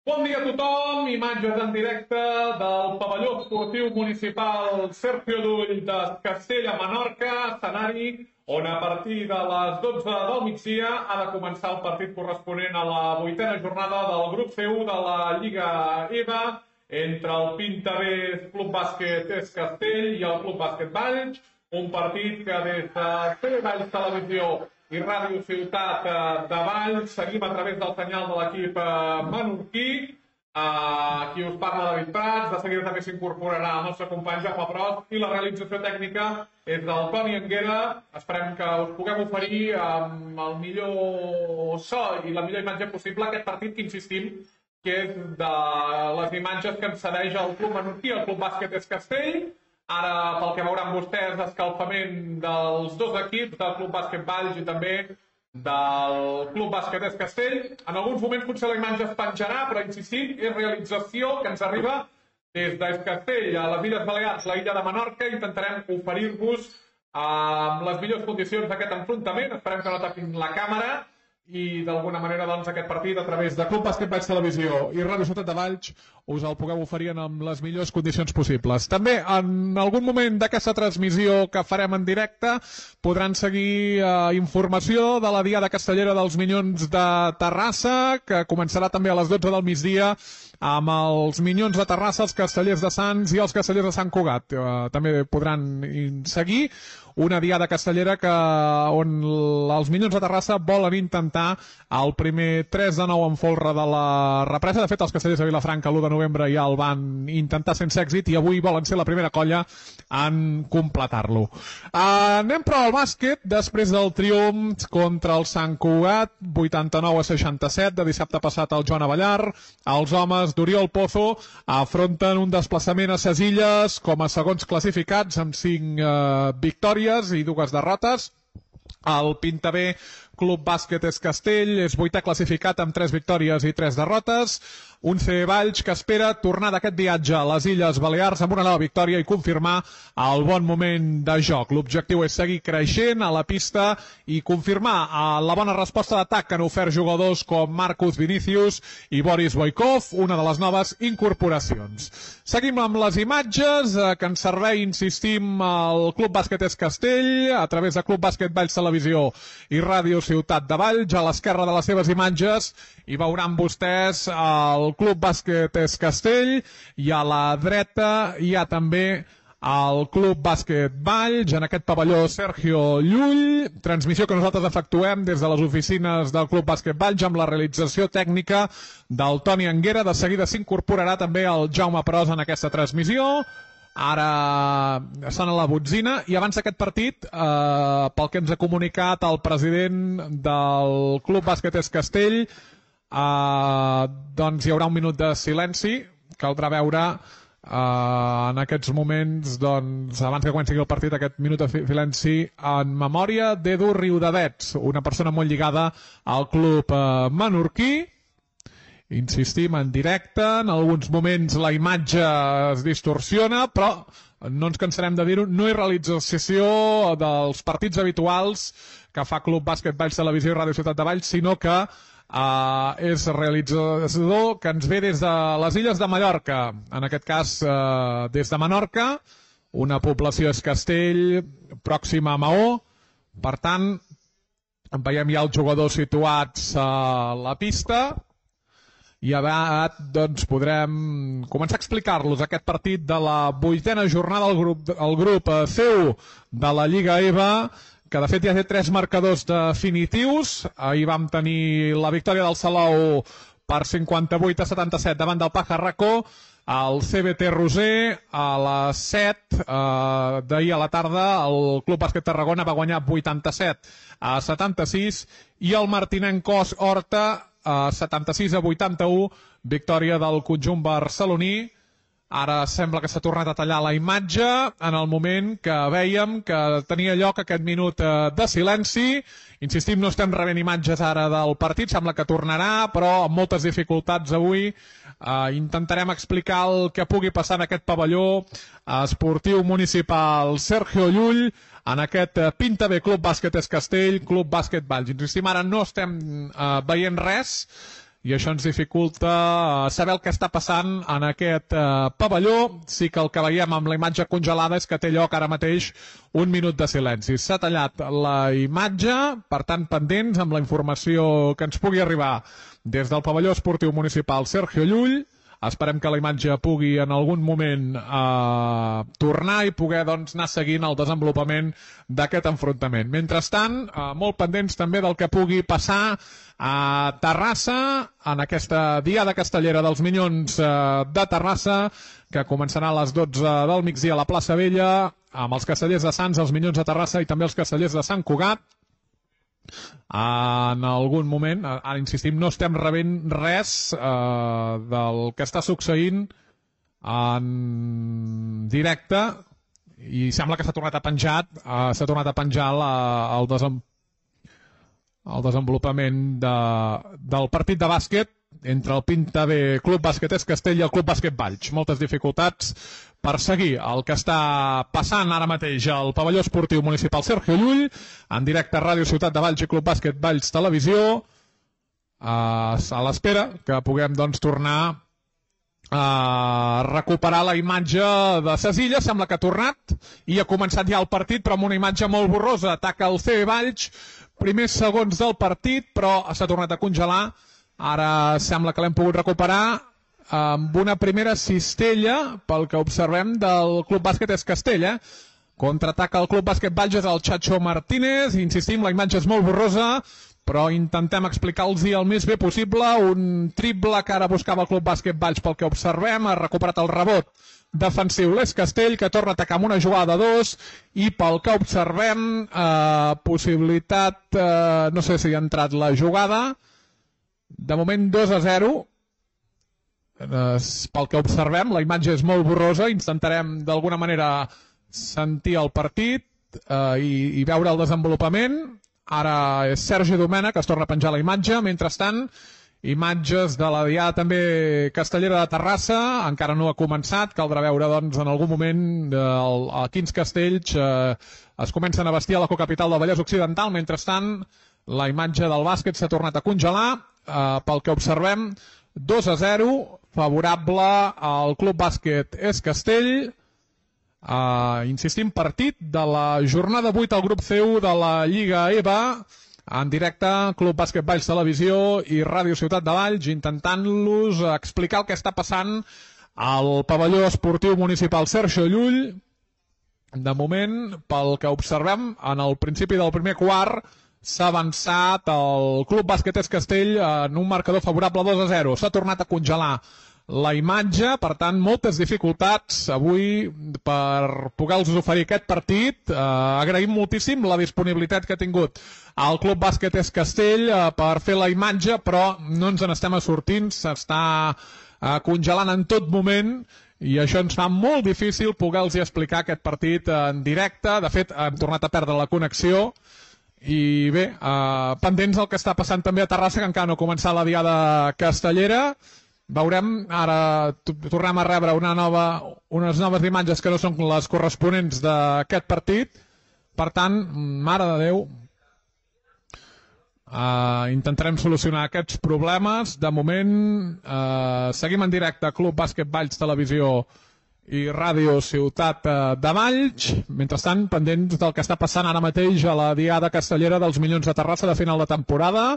Bon dia a tothom, imatges en directe del pavelló esportiu municipal Sergio Llull de Castell a Menorca, escenari on a partir de les 12 del migdia ha de començar el partit corresponent a la 8a jornada del grup C1 de la Lliga EVA entre el Pintavé Club Bàsquet Es Castell i el Club Bàsquet Valls, un partit que des de Valls Televisió i Ràdio Ciutat de Valls seguim a través del senyal de l'equip menorquí. Qui us parla, David Prats. De seguida també s'incorporarà el nostre company Jaume Prost i la realització tècnica és del Toni Anguera. Esperem que us puguem oferir amb el millor so i la millor imatge possible aquest partit que insistim que és de les imatges que ens cedeix el Club Menorquí, el Club Bàsquet Es Castell. Ara, pel que veuran vostès, escalfament dels dos equips, del Club Bàsquet Valls i també del Club Bàsquet Es Castell. En alguns moments potser la imatge es penjarà, però insistim, és realització que ens arriba des d'Es Castell a les Illes Balears, la illa de Menorca. Intentarem oferir-vos amb les millors condicions d'aquest enfrontament. Esperem que no tapin la càmera i d'alguna manera doncs, aquest partit a través de Club Bàsquet Valls Televisió i Ràdio Ciutat de Valls us el pugueu oferir amb les millors condicions possibles. També en algun moment d'aquesta transmissió que farem en directe podran seguir informació de la Diada Castellera dels Minyons de Terrassa, que començarà també a les 12 del migdia amb els Minyons de Terrassa, els Castellers de Sants i els Castellers de Sant Cugat. També podran seguir una Diada Castellera on els Minyons de Terrassa volen intentar el primer 3 de 9 en folre de la represa. De fet, els Castellers de Vilafranca l'1 de novembre ja el van intentar sense èxit i avui volen ser la primera colla en completar-lo. Anem però al bàsquet. Després del triomf contra el Sant Cugat, 89-67, de dissabte passat al Joan Avellar, els homes d'Oriol Pozo afronten un desplaçament a ses Illes com a segons classificats amb 5 victòries i 2 derrotes. El Pintavé Club Bàsquet Es Castell és 8è classificat amb 3 victòries i 3 derrotes. Un C Valls que espera tornar d'aquest viatge a les Illes Balears amb una nova victòria i confirmar el bon moment de joc. L'objectiu és seguir creixent a la pista i confirmar la bona resposta d'atac que han ofert jugadors com Marcus Vinicius i Boris Boikov, una de les noves incorporacions. Seguim amb les imatges que ens servei, insistim, el Club Bàsquet Es Castell a través de Club Bàsquet Valls Televisió i Ràdio Ciutat de Valls. A l'esquerra de les seves imatges hi veuran vostès el Club Bàsquet Es Castell i a la dreta hi ha també el Club Bàsquet Valls en aquest pavelló Sergio Llull. Transmissió que nosaltres efectuem des de les oficines del Club Bàsquet Valls amb la realització tècnica del Toni Anguera. De seguida s'incorporarà també el Jaume Prost en aquesta transmissió. Ara sona la botzina i abans d'aquest partit, pel que ens ha comunicat el president del Club Bàsquet Es Castell, doncs hi haurà un minut de silenci. Caldrà veure en aquests moments, doncs, abans que comenci el partit, aquest minut de silenci en memòria d'Edu Riudavets, una persona molt lligada al club menorquí. Insistim, en directe, en alguns moments la imatge es distorsiona, però no ens cansarem de dir-ho, no és realització dels partits habituals que fa Club Bàsquet Valls Televisió i Ràdio Ciutat de Valls, sinó que és realitzador que ens ve des de les Illes de Mallorca, en aquest cas des de Menorca, una població Es Castell pròxima a Maó. Per tant, veiem ja els jugadors situats a la pista i aviat doncs, podrem començar a explicar-los aquest partit de la 8a jornada del grup C1 de la Lliga EVA, que de fet ja té 3 marcadors definitius. Ahir vam tenir la victòria del Salou per 58-77 davant del Pajarraco. El CBT Roser a les 7 d'ahir a la tarda el Club Bàsquet Tarragona va guanyar 87-76 i el Martinenc Cos Horta 76-81, victòria del conjunt barceloní. Ara sembla que s'ha tornat a tallar la imatge en el moment que vèiem que tenia lloc aquest minut de silenci. Insistim, no estem rebent imatges ara del partit, sembla que tornarà, però amb moltes dificultats avui. Intentarem explicar el que pugui passar en aquest pavelló esportiu municipal Sergio Llull, en aquest Pintavé Club Bàsquet Es Castell, Club Bàsquet Valls. Insistim, ara no estem veient res i això ens dificulta saber el que està passant en aquest pavelló. Sí que el que veiem amb la imatge congelada és que té lloc ara mateix un minut de silenci. S'ha tallat la imatge, per tant pendents amb la informació que ens pugui arribar des del pavelló esportiu municipal Sergio Llull. Esperem que la imatge pugui en algun moment tornar i poder anar seguint el desenvolupament d'aquest enfrontament. Mentrestant, molt pendents també del que pugui passar a Terrassa, en aquesta diada castellera dels Minyons de Terrassa, que començarà a les 12 del migdia a la plaça Vella, amb els castellers de Sants, els Minyons de Terrassa i també els castellers de Sant Cugat. En algun moment, ara insistim, no estem rebent res del que està succeint en directe i sembla que s'ha tornat a penjar el desenvolupament del partit de bàsquet entre el Pinta B Club Bàsquet Es Castell i el Club Bàsquet Valls. Moltes dificultats per seguir el que està passant ara mateix al pavelló esportiu municipal Sergio Llull, en directe a Ràdio Ciutat de Valls i Club Bàsquet Valls Televisió, a l'espera que puguem tornar a recuperar la imatge de Cesilla. Sembla que ha tornat i ha començat ja el partit, però amb una imatge molt borrosa. Ataca el CB Valls, primers segons del partit, però s'ha tornat a congelar. Ara sembla que l'hem pogut recuperar amb una primera cistella, pel que observem, del Club Bàsquet Es Castell. Contraataca el Club Bàsquet Valls, és el Chacho Martínez. Insistim, la imatge és molt borrosa, però intentem explicar-los el més bé possible. Un triple que ara buscava el Club Bàsquet Valls, pel que observem. Ha recuperat el rebot defensiu l'Es Castell, que torna a atacar amb una jugada de 2, i pel que observem, possibilitat, no sé si ha entrat la jugada, de moment 2-0. Pel que observem, la imatge és molt borrosa. Intentarem d'alguna manera sentir el partit i veure el desenvolupament. Ara és Sergi Domènech que es torna a penjar la imatge. Mentrestant, imatges de la diada també castellera de Terrassa. Encara no ha començat, caldrà veure en algun moment a quins castells es comencen a vestir a la cocapital del Vallès Occidental. Mentrestant, la imatge del bàsquet s'ha tornat a congelar. Pel que observem, 2-0, favorable al Club Bàsquet Es Castell. Insistim, partit de la jornada 8 al grup C1 de la Lliga EVA, en directe, Club Bàsquet Valls Televisió i Ràdio Ciutat de Valls, intentant-los explicar el que està passant al pavelló esportiu municipal Sergio Llull. De moment, pel que observem, en el principi del primer quart s'ha avançat el Club Bàsquet Es Castell en un marcador favorable 2-0. S'ha tornat a congelar la imatge, per tant, moltes dificultats avui per poder-los oferir aquest partit. Agraïm moltíssim la disponibilitat que ha tingut el Club Bàsquet Es Castell per fer la imatge, però no ens n'estem sortint, s'està congelant en tot moment i això ens fa molt difícil poder-los explicar aquest partit en directe. De fet, hem tornat a perdre la connexió. I bé, pendents del que està passant també a Terrassa, que encara no ha començat la diada castellera. Veurem, ara tornem a rebre unes noves imatges que no són les corresponents d'aquest partit. Per tant, mare de Déu, intentarem solucionar aquests problemes. De moment, seguim en directe Club Bàsquet Valls Televisió i Ràdio Ciutat de Valls. Mentrestant, pendents del que està passant ara mateix a la diada castellera dels Minyons de Terrassa de final de temporada.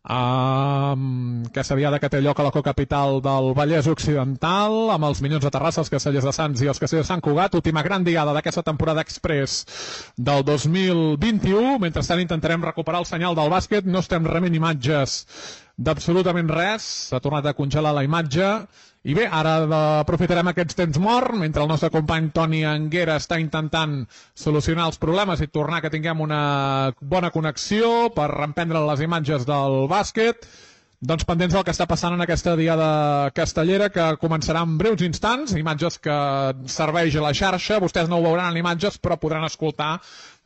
Aquesta diada que té lloc a la cocapital del Vallès Occidental, amb els Minyons de Terrassa, els castellers de Sants i els castellers de Sant Cugat. Última gran diada d'aquesta temporada express del 2021. Mentrestant, intentarem recuperar el senyal del bàsquet. No estem rebent imatges d'absolutament res. S'ha tornat a congelar la imatge. I bé, ara aprofitarem aquests temps morts, mentre el nostre company Toni Anguera està intentant solucionar els problemes i tornar que tinguem una bona connexió per reemprendre les imatges del bàsquet. Doncs pendents del que està passant en aquesta diada castellera, que començarà en breus instants, imatges que serveix a la xarxa. Vostès no ho veuran en imatges, però podran escoltar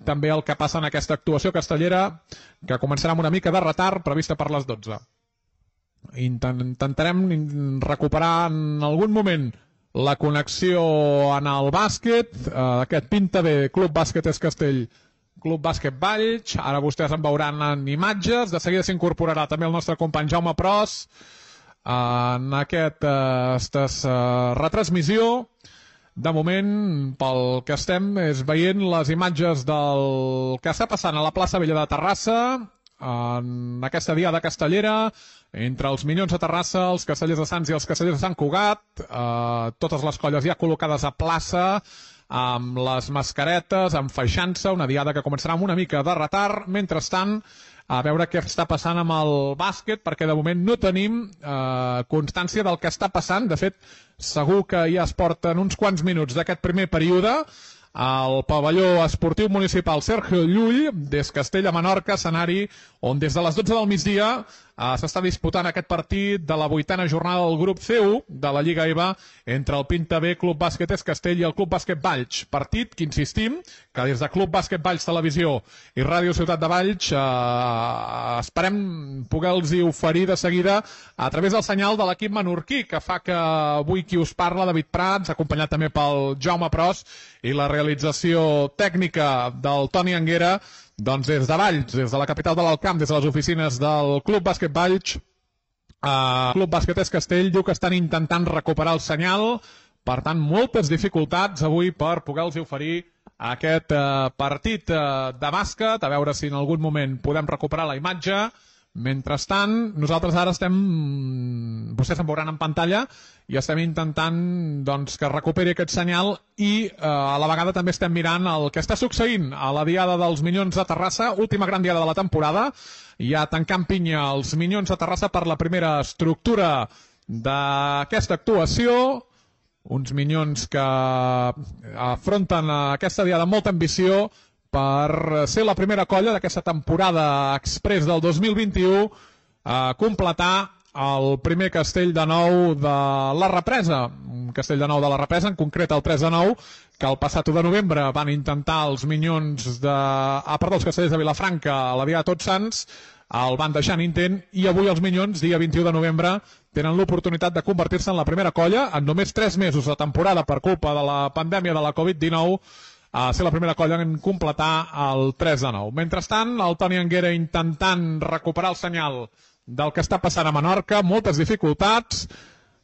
també el que passa en aquesta actuació castellera, que començarà amb una mica de retard, prevista per les 12. Intentarem recuperar en algun moment la connexió en el bàsquet, aquest Pinta B Club Bàsquet Es Castell Club Bàsquet Valls. Ara vostès en veuran en imatges. De seguida s'incorporarà també el nostre company Jaume Pros en aquesta retransmissió. De moment, pel que estem, és veient les imatges del que està passant a la plaça Vella de Terrassa, en aquesta diada castellera, entre els Minyons de Terrassa, els Castellers de Sants i els Castellers de Sant Cugat, totes les colles ja col·locades a plaça, amb les mascaretes, enfaixant-se, una diada que començarà amb una mica de retard. Mentrestant, a veure què està passant amb el bàsquet, perquè de moment no tenim constància del que està passant. De fet, segur que ja es porten uns quants minuts d'aquest primer període. Al pavelló esportiu municipal Sergio Llull, des Castella Menorca, escenari on des de les 12 del migdia s'està disputant aquest partit de la 8a jornada del grup C1 de la Lliga EVA entre el Pinta B Club Bàsquet Es Castell i el Club Bàsquet Valls. Partit que insistim que des de Club Bàsquet Valls Televisió i Ràdio Ciutat de Valls esperem poder-los oferir de seguida a través del senyal de l'equip menorquí, que fa que avui qui us parla, David Prats, acompanyat també pel Jaume Pros, i la realització tècnica del Toni Anguera, doncs des de Valls, des de la capital de l'Alt Camp, des de les oficines del Club Bàsquet Valls, Club Bàsquet Es Castell, diu que estan intentant recuperar el senyal, per tant, moltes dificultats avui per poder-los oferir aquest partit de bàsquet, a veure si en algun moment podem recuperar la imatge. Mentrestant, nosaltres ara estem, vostès em veuran en pantalla, i estem intentant doncs, que recuperi aquest senyal i a la vegada també estem mirant el que està succeint a la diada dels Minyons de Terrassa, última gran diada de la temporada, ja tancant pinya els Minyons de Terrassa per la primera estructura d'aquesta actuació, uns Minyons que afronten aquesta diada amb molta ambició per ser la primera colla d'aquesta temporada express del 2021 a completar el primer castell de nou de la represa. Un castell de nou de la represa, en concret el 3 de 9, que el passat 1 de novembre van intentar els Minyons els Castellers de Vilafranca a la Diada de Tots Sants, el van deixar en intent, i avui els Minyons, dia 21 de novembre, tenen l'oportunitat de convertir-se en la primera colla en només 3 mesos de temporada per culpa de la pandèmia de la Covid-19, a ser la primera colla en completar el 3 de 9. Mentrestant, el Toni Anguera intentant recuperar el senyal del que està passant a Menorca, moltes dificultats,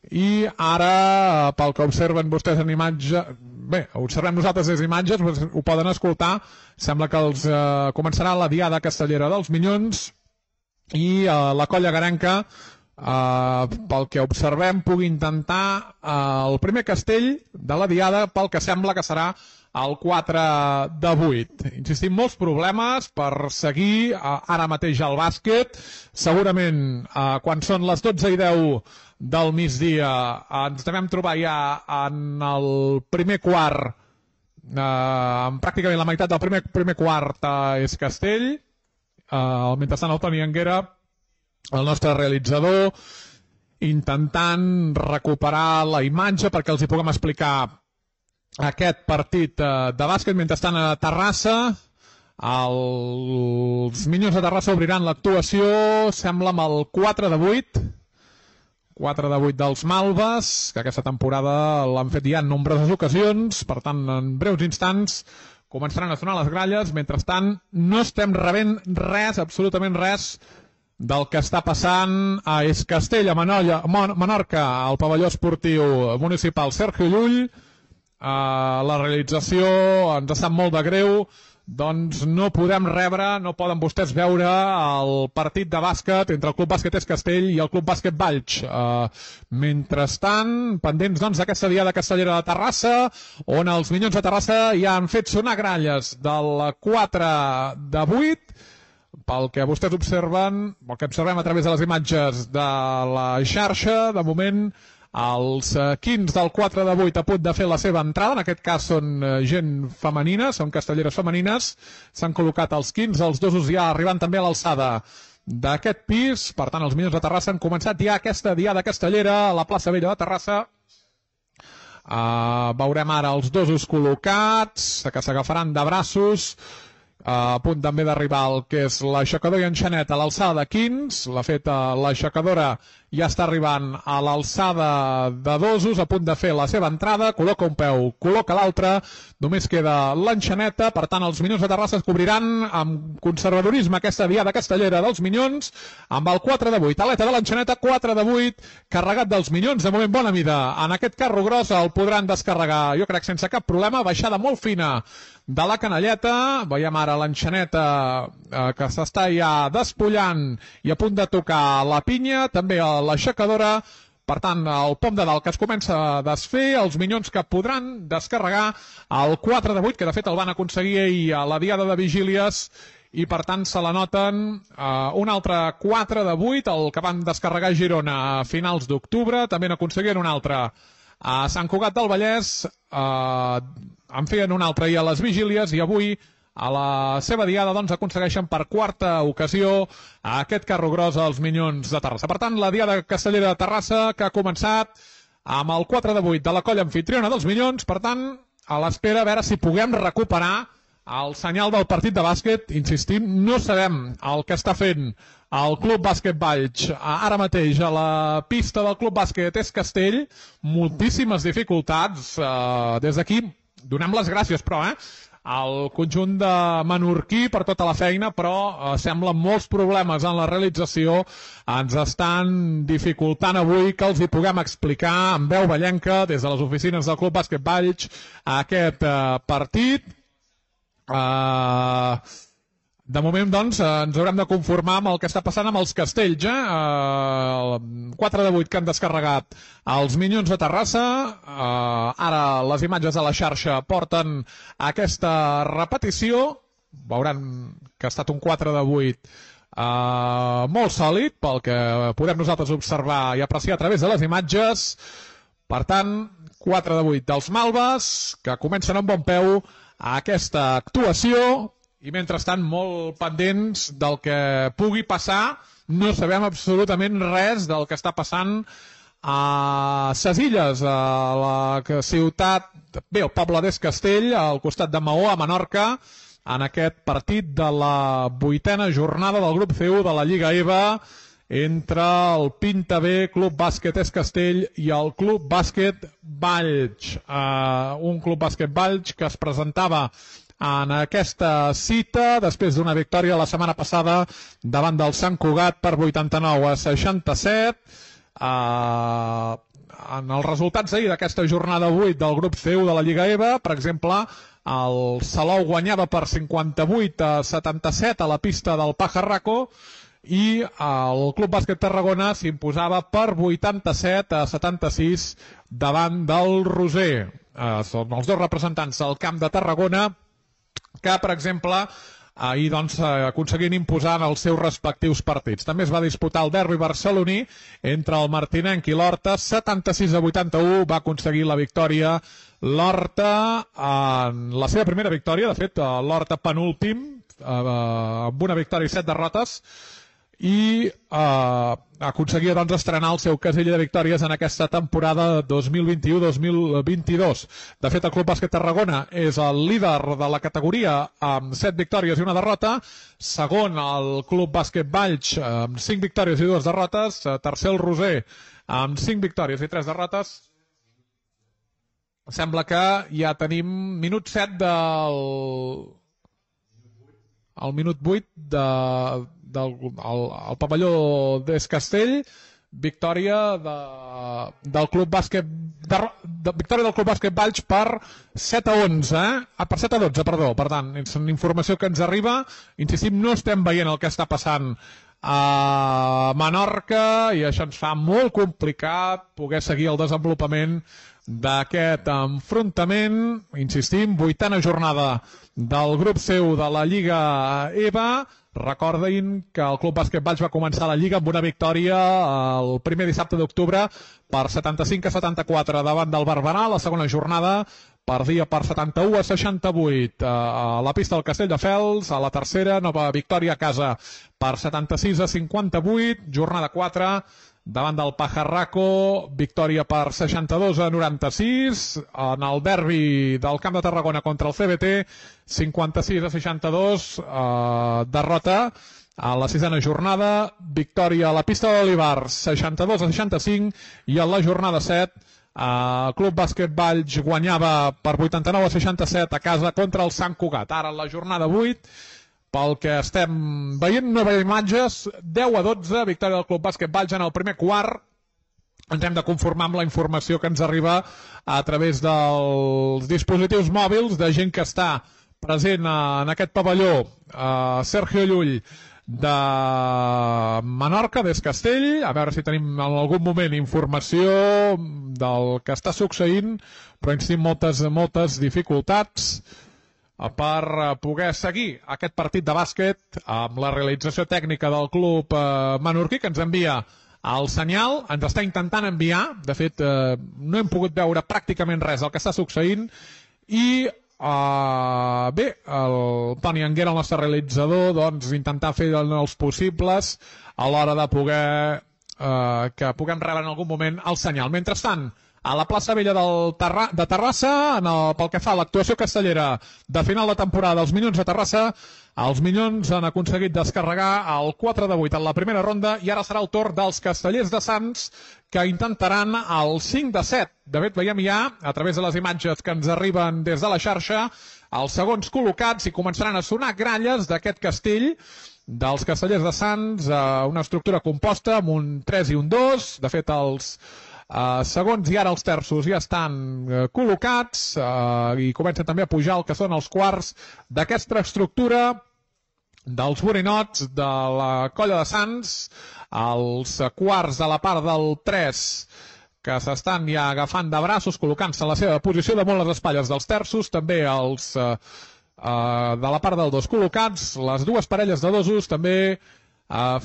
i ara, pel que observen vostès en imatge, bé, observem nosaltres les imatges, ho poden escoltar, sembla que els començarà la diada castellera dels Minyons, i la colla garanca, pel que observem, pugui intentar el primer castell de la diada, pel que sembla que serà el 4 de 8. Insistim, molts problemes per seguir ara mateix al bàsquet. Segurament, quan són les 12:10 del migdia, ens devem trobar ja en el primer quart, pràcticament la meitat del primer quart és Castell. Mentrestant, el Toni Anguera, el nostre realitzador, intentant recuperar la imatge perquè els hi puguem explicar aquest partit de bàsquet. Mentrestant, a Terrassa, els Minyons de Terrassa obriran l'actuació, sembla, amb el 4 de 8. 4 de 8 dels Malves, que aquesta temporada l'han fet ja en nombroses ocasions. Per tant, en breus instants començaran a sonar les gralles. Mentrestant, no estem rebent res, absolutament res, del que està passant a Es Castell, a Menorca, al pavelló esportiu municipal Sergio Llull. La realització ens sap molt de greu, doncs no podem rebre, no poden vostès veure el partit de bàsquet entre el Club Bàsquet Es Castell i el Club Bàsquet Valls. Mentrestant, pendents doncs d'aquesta diada castellera de Terrassa, on els Minyons de Terrassa ja han fet sonar gralles del 4 de 8, pel que vostès observen, el que observem a través de les imatges de la xarxa, de moment els quins del 4 de 8 a punt de fer la seva entrada, en aquest cas són gent femenina, són castelleres femenines, s'han col·locat els quins, els dosos ja arribant també a l'alçada d'aquest pis. Per tant, els Minyons de Terrassa han començat ja aquesta diada castellera a la plaça Vella de Terrassa. Veurem ara els dosos col·locats, que s'agafaran de braços, a punt també d'arribar el que és l'aixecador i enxanet a l'alçada de quins. L'ha fet l'aixecadora ja està arribant a l'alçada de Dosos, a punt de fer la seva entrada, col·loca un peu, col·loca l'altre, només queda l'enxaneta, per tant els Minyons de Terrassa es cobriran amb conservadorisme aquesta diada castellera dels Minyons, amb el 4 de 8, aleta de l'enxaneta, 4 de 8, carregat dels Minyons, de moment bona mida, en aquest carro gros el podran descarregar, jo crec sense cap problema, baixada molt fina de la canalleta, veiem ara l'enxaneta que s'està ja despullant i a punt de tocar la pinya, també l'aixecadora, per tant el pom de dalt que es comença a desfer, els Minyons que podran descarregar el 4 de 8, que de fet el van aconseguir ahir a la diada de Vigílies, i per tant se la noten un altre 4 de 8, el que van descarregar a Girona a finals d'octubre, també n'aconseguien un altre a Sant Cugat del Vallès, en feien un altre ahir a les Vigílies i avui a la seva diada doncs aconsegueixen per quarta ocasió aquest carro gros als Minyons de Terrassa. Per tant, la diada castellera de Terrassa que ha començat amb el 4 de 8 de la colla anfitriona dels Minyons, per tant, a l'espera a veure si puguem recuperar el senyal del partit de bàsquet. Insistim, no sabem el que està fent el Club Bàsquet Valls ara mateix a la pista del Club Bàsquet Es Castell, moltíssimes dificultats, des d'aquí donem les gràcies, però, al conjunt de menorquí per tota la feina, però semblen molts problemes en la realització, ens estan dificultant avui que els hi puguem explicar en veu vallenca des de les oficines del Club Bàsquet Valls aquest partit. De moment, doncs, ens haurem de conformar amb el que està passant amb els Castells. 4 de 8 que han descarregat els Minyons de Terrassa. Ara les imatges de la xarxa porten aquesta repetició. Veuran que ha estat un 4 de 8 molt sòlid, pel que podem nosaltres observar i apreciar a través de les imatges. Per tant, 4 de 8 dels Malves, que comencen amb bon peu a aquesta actuació. I mentrestant molt pendents del que pugui passar, no sabem absolutament res del que està passant a ses Illes, a la ciutat, bé, el poble d'Es Castell, al costat de Maó, a Menorca, en aquest partit de la 8a jornada del grup C1 de la Lliga EVA entre el Pinta B, Club Bàsquet Es Castell i el Club Bàsquet Valls. Un Club Bàsquet Valls que es presentava en aquesta cita, després d'una victòria la setmana passada davant del Sant Cugat per 89-67. En els resultats ahir d'aquesta jornada 8 del grup C1 de la Lliga EVA, per exemple, el Salou guanyava per 58-77 a la pista del Pajarraco i el Club Bàsquet Tarragona s'imposava per 87-76 davant del Roser. Són els dos representants del camp de Tarragona que, per exemple, ahir doncs, aconseguien imposar en els seus respectius partits. També es va disputar el derbi barceloní entre el Martinenc i l'Horta. 76-81 va aconseguir la victòria l'Horta en la seva primera victòria. De fet, l'Horta penúltim, amb una victòria i 7 derrotes, i aconseguia doncs, estrenar el seu casell de victòries en aquesta temporada 2021-2022. De fet, el Club Bàsquet Tarragona és el líder de la categoria amb 7 victòries i una derrota, segon el Club Bàsquet Valls amb 5 victòries i 2 derrotes, tercer el Roser amb 5 victòries i 3 derrotes. Sembla que ja tenim minut 7 el minut 8 del pavelló d'Es Castell, victòria del Club Bàsquet victòria del Club Bàsquet Valls per 7-11, per 7-12, perdó. Per tant, és una informació que ens arriba. Insistim, no estem veient el que està passant a Menorca i això ens fa molt complicat poder seguir el desenvolupament d'aquest enfrontament. Insistim, 8a jornada del grup C1 de la Lliga EVA. Recordin que el Club Bàsquet Valls va començar la Lliga amb una victòria el primer dissabte d'octubre per 75-74 davant del Barberà. La segona jornada perdia per 71-68 a la pista del Castelldefels. A la tercera, nova victòria a casa per 76-58. Jornada 4 davant del Pajarraco, victòria per 62-96. En el derbi del Camp de Tarragona contra el CBT, 56-62, derrota a la sisena jornada, victòria a la pista de l'Olivars 62-65, i a la jornada 7 el Club Bàsquet Valls guanyava per 89-67 a casa contra el Sant Cugat. Ara en la jornada 8, pel que estem veient, no veiem imatges, 10-12, victòria del Club Bàsquet Valls en el primer quart. Ens hem de conformar amb la informació que ens arriba a través dels dispositius mòbils de gent que està present en aquest pavelló. Sergio Llull de Menorca, des Castell, a veure si tenim en algun moment informació del que està succeint, però ens tenim moltes dificultats per poder seguir aquest partit de bàsquet amb la realització tècnica del club menorquí, que ens envia el senyal, ens està intentant enviar, de fet no hem pogut veure pràcticament res del que està succeint, i bé, el Toni Anguera, el nostre realitzador, doncs intentar fer els possibles a l'hora de poder que puguem rebre en algun moment el senyal. Mentrestant, a la plaça Vella de Terrassa, pel que fa a l'actuació castellera de final de temporada dels Minyons de Terrassa, els Minyons han aconseguit descarregar el 4-8 en la primera ronda, i ara serà el torn dels Castellers de Sants, que intentaran el 5-7. De fet, veiem ja, a través de les imatges que ens arriben des de la xarxa, els segons col·locats, i començaran a sonar gralles d'aquest castell dels Castellers de Sants, una estructura composta amb un 3 i un 2. De fet, els segons i ara els terços ja estan col·locats i comencen també a pujar el que són els quarts d'aquesta estructura dels borinots de la Colla de Sants, els quarts de la part del 3 que s'estan ja agafant de braços, col·locant-se en la seva posició damunt les espatlles dels terços, també els de la part del 2 col·locats, les dues parelles de dosos també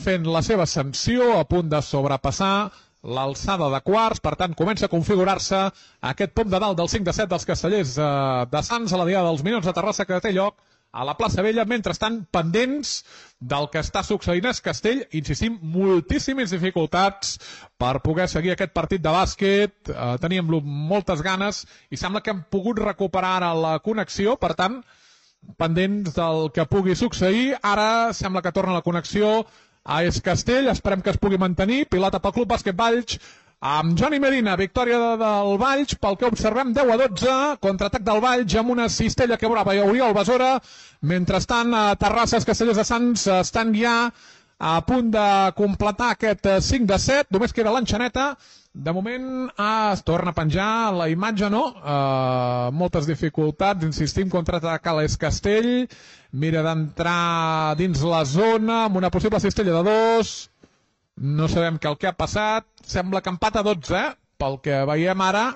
fent la seva ascensió, a punt de sobrepassar l'alçada de quarts. Per tant, comença a configurar-se aquest pom de dalt del 5-7 dels Castellers de Sants a la Diada dels Minyons de Terrassa, que té lloc a la plaça Vella. Mentrestant, pendents del que està succeint a Castell, insistim, moltíssimes dificultats per poder seguir aquest partit de bàsquet. Teníem moltes ganes i sembla que hem pogut recuperar ara la connexió, per tant, pendents del que pugui succeir. Ara sembla que torna la connexió a Es Castell, esperem que es pugui mantenir. Pilota pel Club Bàsquet Valls amb Johnny Medina, victòria del Valls, pel que observem 10-12, contraatac del Valls amb una cistella que brava i Oriol Besora. Mentrestant, a Terrassa, els Castellers de Sants estan ja a punt de completar aquest 5-7, només queda l'enxaneta. De moment es torna a penjar la imatge, no? Moltes dificultats, insistim, contraatac a l'Es Castell, mira d'entrar dins la zona amb una possible cistella de 2, no sabem què el que ha passat, sembla que empat a 12, pel que veiem ara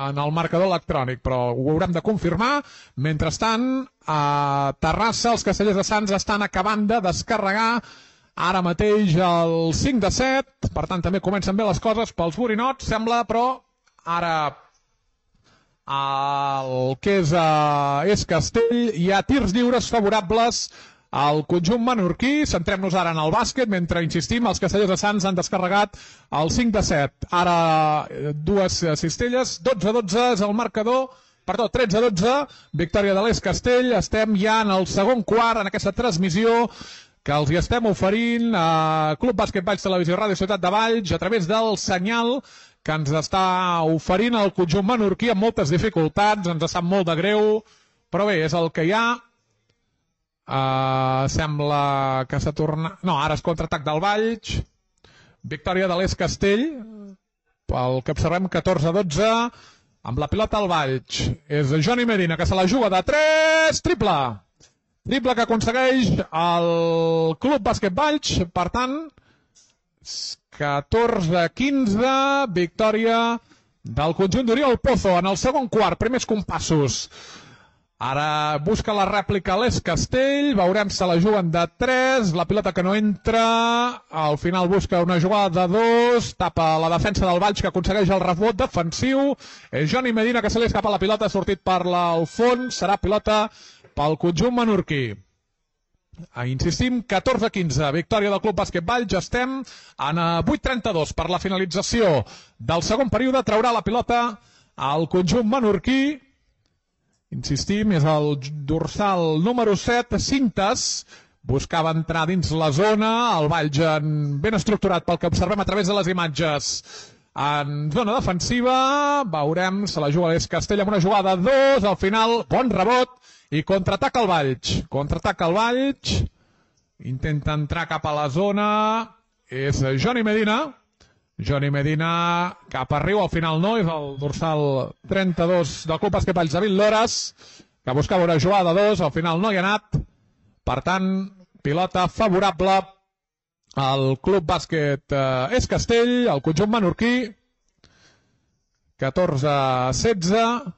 en el marcador electrònic, però ho haurem de confirmar. Mentrestant, a Terrassa, els Castellers de Sants estan acabant de descarregar ara mateix el 5-7, per tant també comencen bé les coses pels borinots, sembla, però ara el que és Castell hi ha tirs lliures favorables al conjunt menorquí. Centrem-nos ara en el bàsquet, mentre, insistim, els Castellers de Sants han descarregat el 5-7. Ara dues cistelles, 12-12 és el marcador, perdó, 13-12, victòria de l'Es Castell. Estem ja en el segon quart, en aquesta transmissió que els hi estem oferint a Club Bàsquet Valls Televisió Ràdio Ciutat de Valls a través del senyal que ens està oferint el conjunt menorquí amb moltes dificultats. Ens sap molt de greu, però bé, és el que hi ha. Sembla que s'ha tornat... No, ara és contraatac del Valls. Victòria de l'Es Castell, pel que observem 14-12, amb la pilota al Valls. És Johnny Medina, que se la juga de 3, triple! Triple que aconsegueix el Club Bàsquet Valls, per tant, 14-15, victòria del conjunt d'Oriol Pozo en el segon quart, primers compassos. Ara busca la rèplica a l'Es Castell, veurem se la juguen de 3, la pilota que no entra, al final busca una jugada de 2, tapa la defensa del Valls que aconsegueix el rebot defensiu, és Johnny Medina que se li escapa la pilota, ha sortit per al fons, serà pilota pel conjunt menorquí. Insistim, 14-15, victòria del Club Bàsquet Valls, estem en 8-32 per la finalització del segon període, traurà la pilota al conjunt menorquí. Insistim, és el dorsal número 7, Cintes, buscava entrar dins la zona, el Valls ben estructurat pel que observem a través de les imatges en zona defensiva, veurem, se la juga l'Es Castell amb una jugada 2, al final bon rebot i contraataca el Valls, intenta entrar cap a la zona, és Johnny Medina cap a Riu, al final no, és el dorsal 32 del Club Bàsquet Valls, David Lores, que buscava una jugada 2, al final no hi ha anat. Per tant, pilota favorable al Club Bàsquet Es Castell, el conjunt menorquí, 14-16,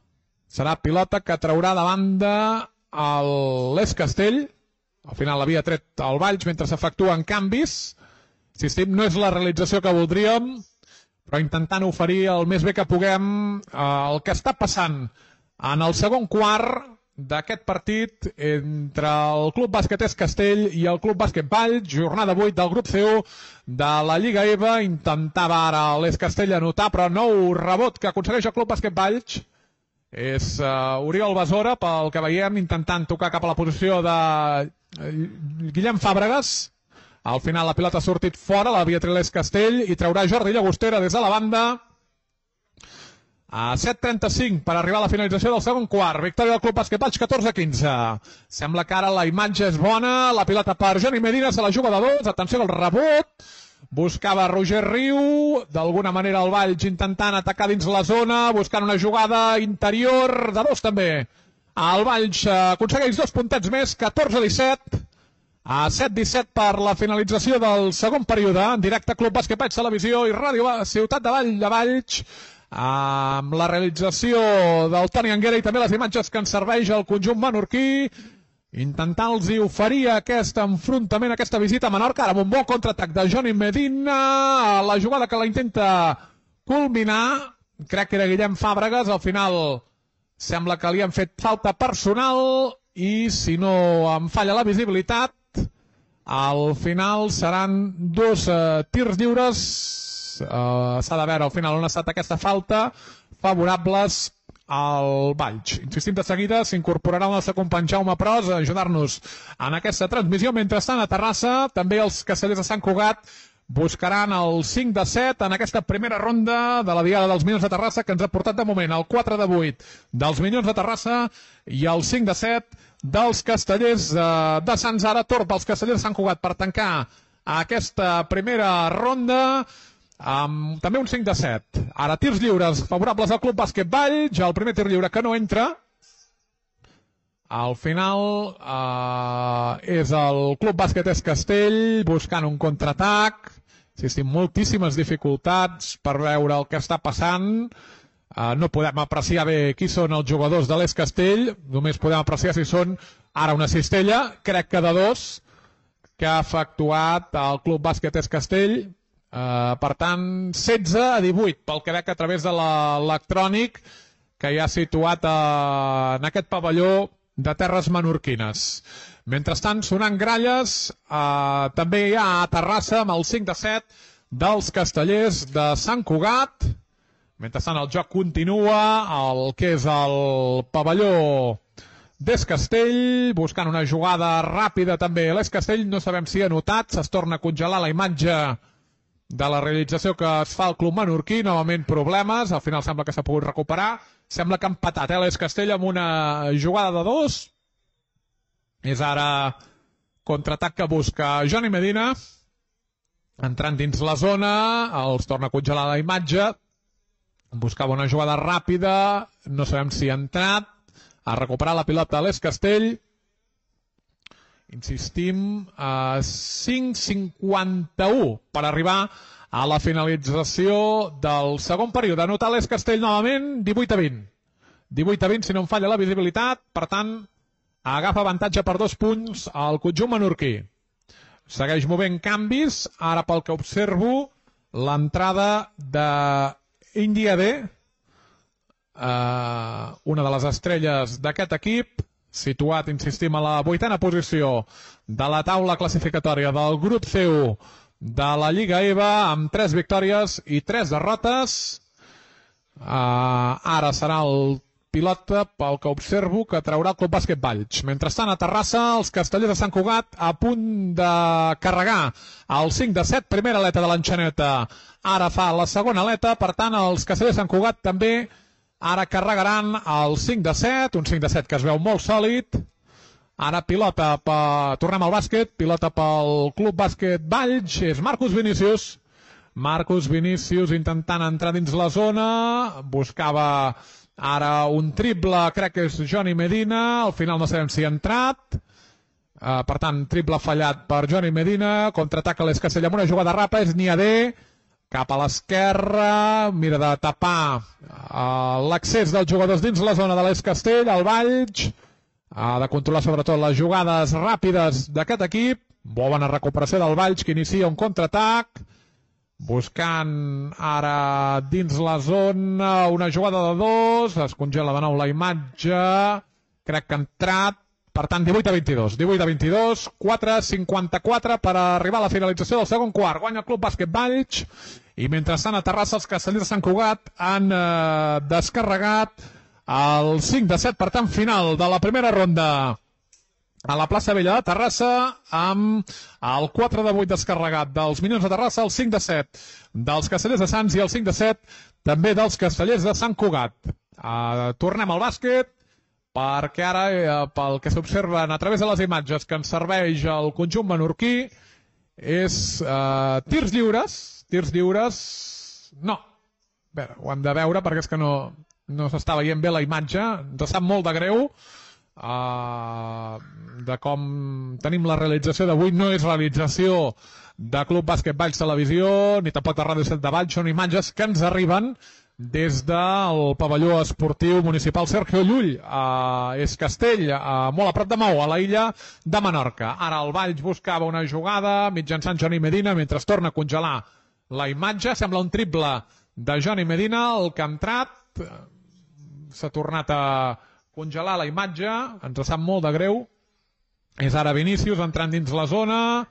serà pilota que traurà de banda l'Es Castell, al final l'havia tret el Valls mentre s'efectuen canvis, insistim, no és la realització que voldríem, però intentant oferir el més bé que puguem el que està passant en el segon quart d'aquest partit entre el Club Bàsquet Es Castell i el Club Bàsquet Valls, jornada 8 del grup C1 de la Lliga EVA. Intentava ara l'Es Castell anotar, però nou rebot que aconsegueix el Club Bàsquet Valls. És Oriol Besora, pel que veiem, intentant tocar cap a la posició de Guillem Fàbregas. Al final la pilota ha sortit fora, l'havia tret l'Es Castell i traurà Jordi Llagostera des de la banda. A 7:35 per arribar a la finalització del segon quart. Victòria del Club Bàsquet Valls, 14-15. Sembla que ara la imatge és bona. La pilota per Johnny Medina, se la juga de 2. Atenció al rebot. Buscava Roger Riu. D'alguna manera el Valls intentant atacar dins la zona, buscant una jugada interior de 2 també. El Valls aconsegueix 2 puntets més, 14-17. A 7:17 per la finalització del segon període. En directe Club Bàsquet Valls Televisió i Ràdio Ciutat de Valls, amb la realització del Toni Anguera i també les imatges que ens serveix el conjunt menorquí, intentant-los oferir aquest enfrontament, aquesta visita a Menorca, ara amb un bon contraatac de Johnny Medina, la jugada que la intenta culminar, crec que era Guillem Fàbregas, al final sembla que li han fet falta personal i si no em falla la visibilitat, al final seran 2 tirs lliures. S'ha de veure al final on ha estat aquesta falta, favorables al Valls. Insistim, de seguida s'incorporarà el nostre company Jaume Pros a ajudar-nos en aquesta transmissió. Mentrestant, a Terrassa, també els castellers de Sant Cugat buscaran el 5-7 en aquesta primera ronda de la Diada dels Minyons de Terrassa, que ens ha portat de moment el 4-8 dels Minyons de Terrassa i el 5-7 dels castellers de Sants. Ara torn pels castellers de Sant Cugat per tancar aquesta primera ronda amb també un 5-7. Ara tirs lliures favorables al Club Bàsquet Valls, el primer tir lliure que no entra. Al final és el Club Bàsquet Es Castell buscant un contraatac. Existim moltíssimes dificultats per veure el que està passant. No podem apreciar bé qui són els jugadors de l'Es Castell, només podem apreciar si són ara una cistella, crec que de 2, que ha efectuat el Club Bàsquet Es Castell. Per tant, 16-18 pel que veig a través de l'electrònic que hi ha situat en aquest pavelló de terres menorquines. Mentrestant, sonant gralles, també hi ha a Terrassa amb el 5-7 dels castellers de Sant Cugat. Mentrestant, el joc continua, el que és el pavelló d'Es Castell, buscant una jugada ràpida també. L'Es Castell no sabem si ha notat, es torna a congelar la imatge de la realització que es fa al club menorquí, novament problemes, al final sembla que s'ha pogut recuperar, sembla que ha empatat l'Es Castell amb una jugada de 2, és ara contraatac que busca Johnny Medina, entrant dins la zona, els torna a congelar la imatge, buscava una jugada ràpida, no sabem si ha entrat, ha recuperat la pilota l'Es Castell. Insistim, 5:51 per arribar a la finalització del segon període. Anotar l'Es Castell novament, 18-20. 18-20 si no em falla la visibilitat, per tant, agafa avantatge per 2 punts al conjunt menorquí. Segueix movent canvis, ara pel que observo, l'entrada d'India D, una de les estrelles d'aquest equip, situat, insistim, a la 8a posició de la taula classificatòria del grup C1 de la Lliga EVA, amb 3 victòries i 3 derrotes. Ara serà el pilota, pel que observo, que traurà el Club Bàsquet Valls. Mentrestant, a Terrassa, els castellers de Sant Cugat a punt de carregar el 5-7, primera aleta de l'enxaneta. Ara fa la segona aleta, per tant, els castellers de Sant Cugat també ara carregaran el 5-7, un 5-7 que es veu molt sòlid. Ara pilota, tornem al bàsquet, pilota pel Club Bàsquet Valls, és Marcus Vinícius. Marcus Vinícius intentant entrar dins la zona, buscava ara un triple, crec que és Johnny Medina, al final no sabem si ha entrat, per tant, triple fallat per Johnny Medina, contraataca l'Escastell amb una jugada rapa, és Niadé, cap a l'esquerra, mira de tapar l'accés dels jugadors dins la zona de l'Escastell, el Valls, ha de controlar sobretot les jugades ràpides d'aquest equip, bona recuperació del Valls que inicia un contraatac, buscant ara dins la zona una jugada de dos, es congela de nou la imatge, crec que ha entrat, per tant 18-22, 18-22, 4-54 per arribar a la finalització del segon quart, guanya el Club Bàsquet Valls, i mentrestant a Terrassa els castellers de Sant Cugat han descarregat el 5-7, per tant final de la primera ronda a la plaça Vella de Terrassa, amb el 4-8 descarregat dels Minyons de Terrassa, el 5-7 dels Castellers de Sants i el 5-7 també dels Castellers de Sant Cugat. Tornem al bàsquet, perquè ara, pel que s'observen a través de les imatges que ens serveix el conjunt menorquí, és tirs lliures, no, a veure, ho hem de veure perquè és que no s'està veient bé la imatge, ens sap molt de greu, de com tenim la realització d'avui. No és realització de Club Bàsquet Valls Televisió ni tampoc de Ràdio 7 de Valls, són imatges que ens arriben des del pavelló esportiu municipal Sergio Llull a Es Castell, molt a prop de Maó, a la illa de Menorca. Ara el Valls buscava una jugada mitjançant Johnny Medina mentre es torna a congelar la imatge, sembla un triple de Johnny Medina, el que ha entrat, s'ha tornat a congelar la imatge, ens sap molt de greu, és ara Vinícius entrant dins la zona,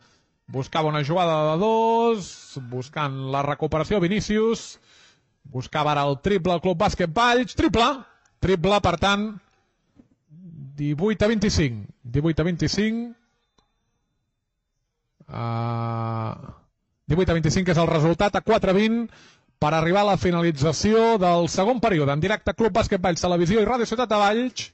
buscava una jugada de dos, buscant la recuperació Vinícius, buscava ara el triple al Club Bàsquet Valls, triple, per tant 18-25, 18-25 és el resultat, a 4-20 per arribar a la finalització del segon període. En directe, Club Bàsquet Valls Televisió i Ràdio Ciutat de Valls,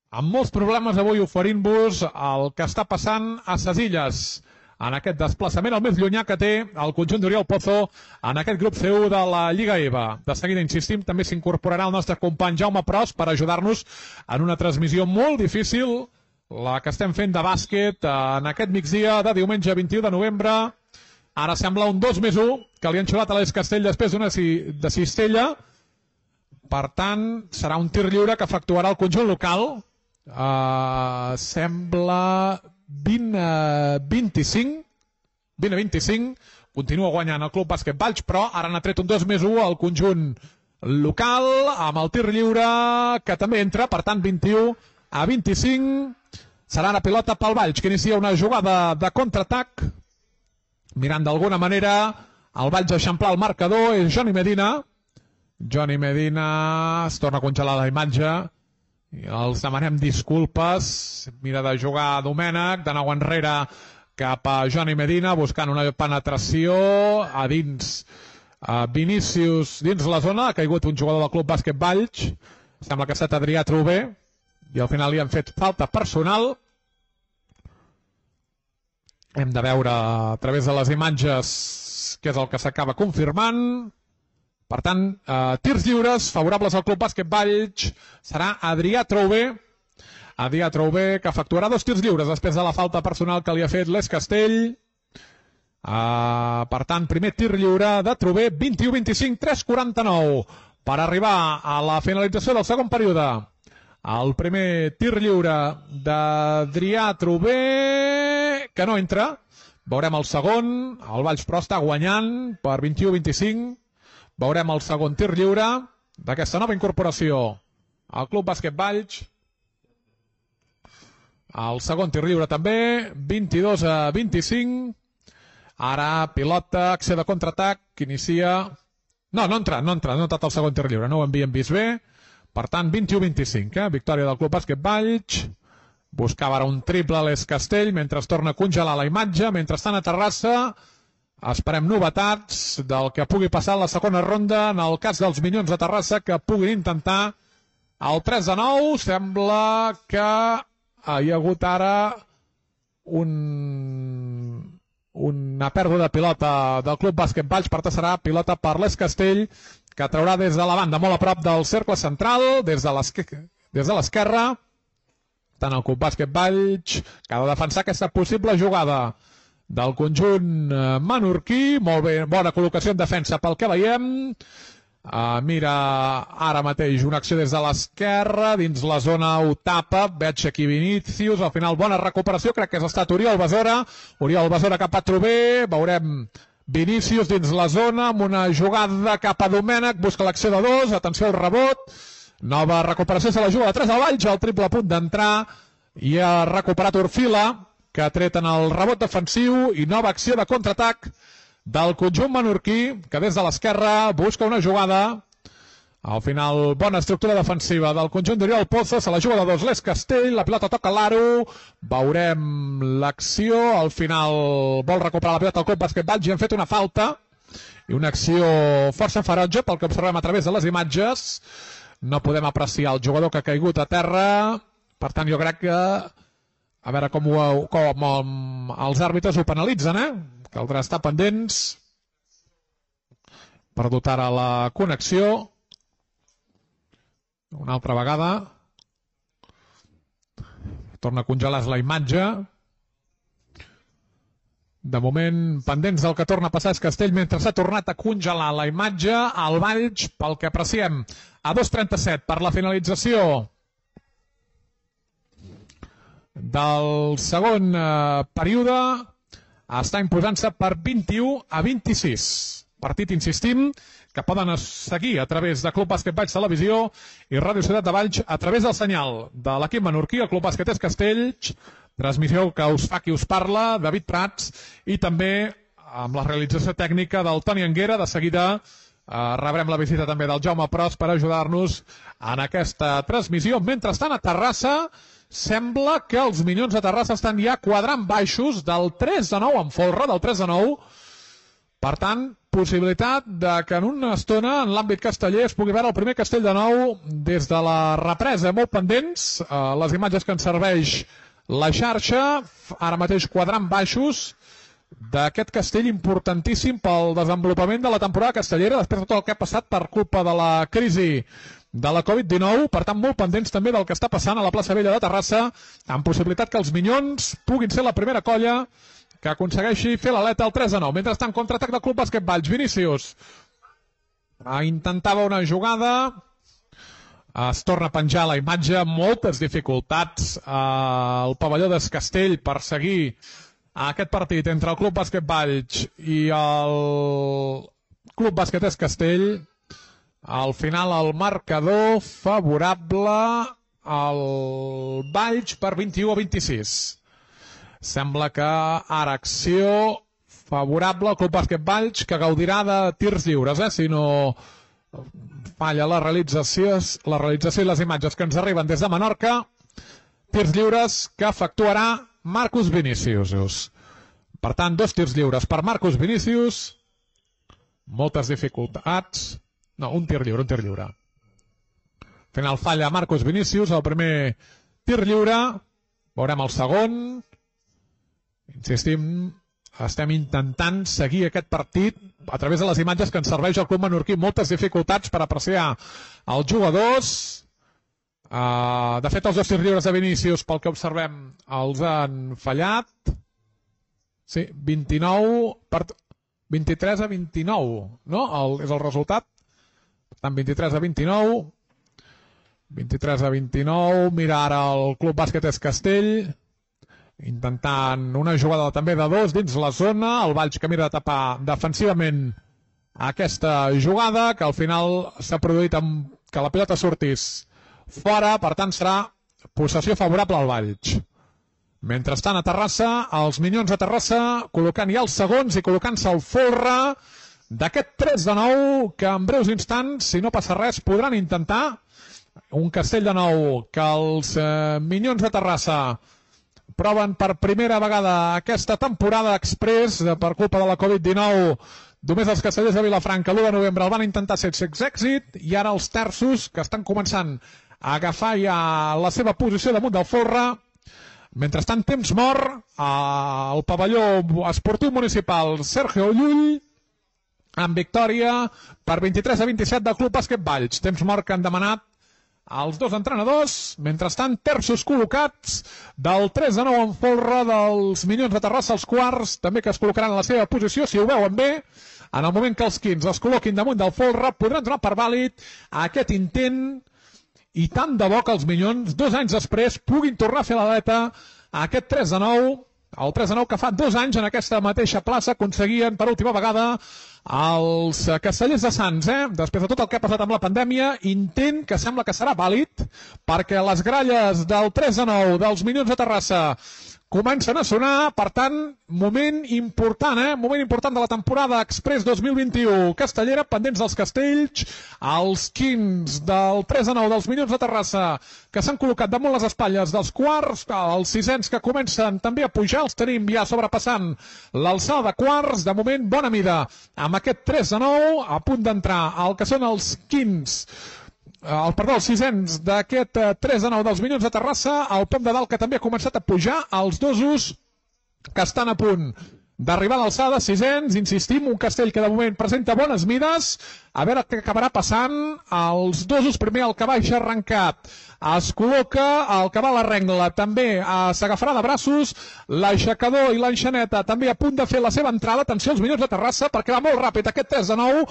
amb molts problemes avui oferint-vos el que està passant a ses Illes, en aquest desplaçament el més llunyà que té el conjunt d'Oriol Pozo en aquest grup C1 de la Lliga EVA. De seguida, insistim, també s'incorporarà el nostre company Jaume Pros per ajudar-nos en una transmissió molt difícil, la que estem fent de bàsquet en aquest migdia de diumenge 21 de novembre. Ara sembla un 2+1 que li han xulat a l'Es Castell després d'una de cistella. Per tant, serà un tir lliure que efectuarà el conjunt local. Sembla 20-25. 20-25. Continua guanyant el Club Bàsquet Valls, però ara n'ha tret un 2+1 al conjunt local, amb el tir lliure que també entra. Per tant, 21-25. Serà la pilota pel Valls, que inicia una jugada de contraatac. Mirant d'alguna manera el Valls a eixamplar el marcador, és Johnny Medina. Johnny Medina es torna a congelar la imatge i els demanem disculpes. Mira de jugar Domènec, de nou enrere cap a Johnny Medina, buscant una penetració a dins. Vinícius dins la zona, ha caigut un jugador del Club Bàsquet Valls, sembla que ha estat Adrià Trové, i al final li han fet falta personal. Hem de veure a través de les imatges què és el que s'acaba confirmant. Per tant, tirs lliures favorables al Club Bàsquet Valls serà Adrià Trouvé. Adrià Trouvé, que efectuarà 2 tirs lliures després de la falta personal que li ha fet l'Es Castell. Per tant, primer tir lliure de Trouvé, 21-25, 3-49 per arribar a la finalització del segon període. El primer tir lliure d'Adrià Trouvé, que no entra. Veurem el segon. El Valls però està guanyant per 21-25. Veurem el segon tir lliure d'aquesta nova incorporació al Club Bàsquet Valls. El segon tir lliure també, 22-25. Ara pilota, acció de contraatac, que inicia... No ha entrat el segon tir lliure, no ho havíem vist bé. Per tant, 21-25, victòria del Club Bàsquet Valls. Buscava ara un triple a l'Es Castell, mentre es torna a congelar la imatge. Mentrestant a Terrassa esperem novetats del que pugui passar a la segona ronda en el cas dels Minyons de Terrassa, que puguin intentar el 3-9. Sembla que hi ha hagut ara una pèrdua de pilota del Club Bàsquet Valls. Per tant, serà pilota per l'Es Castell, que traurà des de la banda, molt a prop del cercle central, des de l'esquerra. Tant el Club Bàsquet Valls, que ha de defensar aquesta possible jugada del conjunt menorquí. Molt bé, bona col·locació en defensa pel que veiem. Mira ara mateix una acció des de l'esquerra, dins la zona ho tapa, veig aquí Vinícius, al final bona recuperació, crec que ha estat Oriol Besora cap a Trové, veurem Vinícius dins la zona, amb una jugada cap a Domènech, busca l'acció de 2, atenció al rebot, nova recuperació, se la juga de 3 al Valls, al triple a punt d'entrar, i ha recuperat Orfila, que ha tret en el rebot defensiu, i nova acció de contraatac del conjunt menorquí, que des de l'esquerra busca una jugada. Al final, bona estructura defensiva del conjunt d'Oriol Pozo, se la juga de 2 l'Es Castell, la pilota toca l'Aro, veurem l'acció, al final vol recuperar la pilota al Club Bàsquet Valls i han fet una falta, i una acció força ferotge pel que observem a través de les imatges. No podem apreciar el jugador que ha caigut a terra, per tant jo crec que a veure com els àrbitres ho penalitzen, caldrà estar pendents. Perdut ara la connexió. Una altra vegada. Torna a congelar la imatge. De moment, pendents del que torna a passar és Castell, mentre s'ha tornat a congelar la imatge. Al Valls, pel que apreciem, a 2:37 per la finalització del segon període, està imposant-se per 21-26. Partit, insistim, que poden seguir a través de Club Bàsquet Valls Televisió i Ràdio Ciutat de Valls a través del senyal de l'equip menorquí, el Club Bàsquet Es Castells, transmissió que us fa qui us parla, David Prats, i també amb la realització tècnica del Toni Anguera. De seguida rebrem la visita també del Jaume Pros per ajudar-nos en aquesta transmissió. Mentrestant, a Terrassa, sembla que els Minyons de Terrassa estan ja quadrant baixos del 3-9 en folre, del 3-9. Per tant, possibilitat de que en una estona, en l'àmbit casteller, es pugui veure el primer Castell de nou des de la represa. Molt pendents, les imatges que ens serveix la xarxa, ara mateix quadrant baixos d'aquest Castell importantíssim pel desenvolupament de la temporada castellera, després de tot el que ha passat per culpa de la crisi de la Covid-19, per tant molt pendents també del que està passant a la plaça Vella de Terrassa, amb possibilitat que els Minyons puguin ser la primera colla que aconsegueixi fer l'aleta al 3-9. Mentrestant, contraatac del Club Bàsquet Valls. Vinícius intentava una jugada, es torna a penjar la imatge, moltes dificultats al pavelló d'Es Castell per seguir aquest partit entre el Club Bàsquet Valls i el Club Bàsquet Es Castell. Al final el marcador favorable al Valls per 21-26. Sembla que ara acció favorable al Club Bàsquet Valls, que gaudirà de tirs lliures, si no falla la realització i les imatges que ens arriben des de Menorca. Tirs lliures que efectuarà Marcus Vinícius. Per tant, 2 tirs lliures per Marcus Vinícius. Moltes dificultats. No, un tir lliure. Al final falla Marcus Vinícius, el primer tir lliure. Veurem el segon. Insistim, estem intentant seguir aquest partit a través de les imatges que ens serveix el Club Menorquí. Moltes dificultats per apreciar els jugadors. De fet, els 2 tirs lliures de Vinícius, pel que observem, els han fallat. Sí, 23-29, no? És el resultat. Per tant, 23-29. 23-29. Mira ara el Club Bàsquet Es Castell, intentant una jugada també de 2 dins la zona. El Valls que mira de tapar defensivament aquesta jugada, que al final s'ha produït amb que la pilota sortís fora, per tant serà possessió favorable al Valls. Mentrestant, a Terrassa, els Minyons de Terrassa col·locant ja els segons i col·locant-se al folre d'aquest 3-9, que en breus instants, si no passa res, podran intentar Un Castelldefels que els Minyons de Terrassa proven per primera vegada aquesta temporada express per culpa de la Covid-19. Només els castellers de Vilafranca l'1 de novembre el van intentar sense èxit i ara els terços que estan començant a agafar ja la seva posició damunt del folre. Mentrestant, temps mort al pavelló esportiu municipal Sergio Llull amb victòria per 23-27 del Club Bàsquet Valls. Temps mort que han demanat els dos entrenadors. Mentrestant, terços col·locats del 3-9 en folre dels Minyons de Terrassa, els quarts, també que es col·locaran en la seva posició, si ho veuen bé. En el moment que els quins es col·loquin damunt del folre, podran donar per vàlid aquest intent i tant de bo que els Minyons, 2 anys després, puguin tornar a fer l'aleta a aquest 3-9, el 3-9 que fa 2 anys en aquesta mateixa plaça aconseguien per última vegada els castellers de Sants, després de tot el que ha passat amb la pandèmia, intent que sembla que serà vàlid perquè les gralles del 3-9 dels Minyons de Terrassa comencen a sonar. Per tant, moment important de la temporada Express 2021 castellera, pendents dels castells, els quins del 3-9 dels Minyons de Terrassa que s'han col·locat damunt les espatlles dels quarts, els sisens que comencen també a pujar, els tenim ja sobrepassant l'alçada de quarts. De moment, bona mida amb aquest 3-9, a punt d'entrar el que són els quins, els sisens d'aquest 3-9 dels Minyons de Terrassa, el pom de dalt que també ha començat a pujar, els dosos que estan a punt d'arribar a l'alçada, sisens, insistim, un castell que de moment presenta bones mides, a veure què acabarà passant. Els dosos, primer el cavall ja arrencat, es col·loca, el que va a la rengla també s'agafarà de braços, l'aixecador i l'enxaneta també a punt de fer la seva entrada. Atenció als Minyons de Terrassa perquè va molt ràpid aquest 3-9.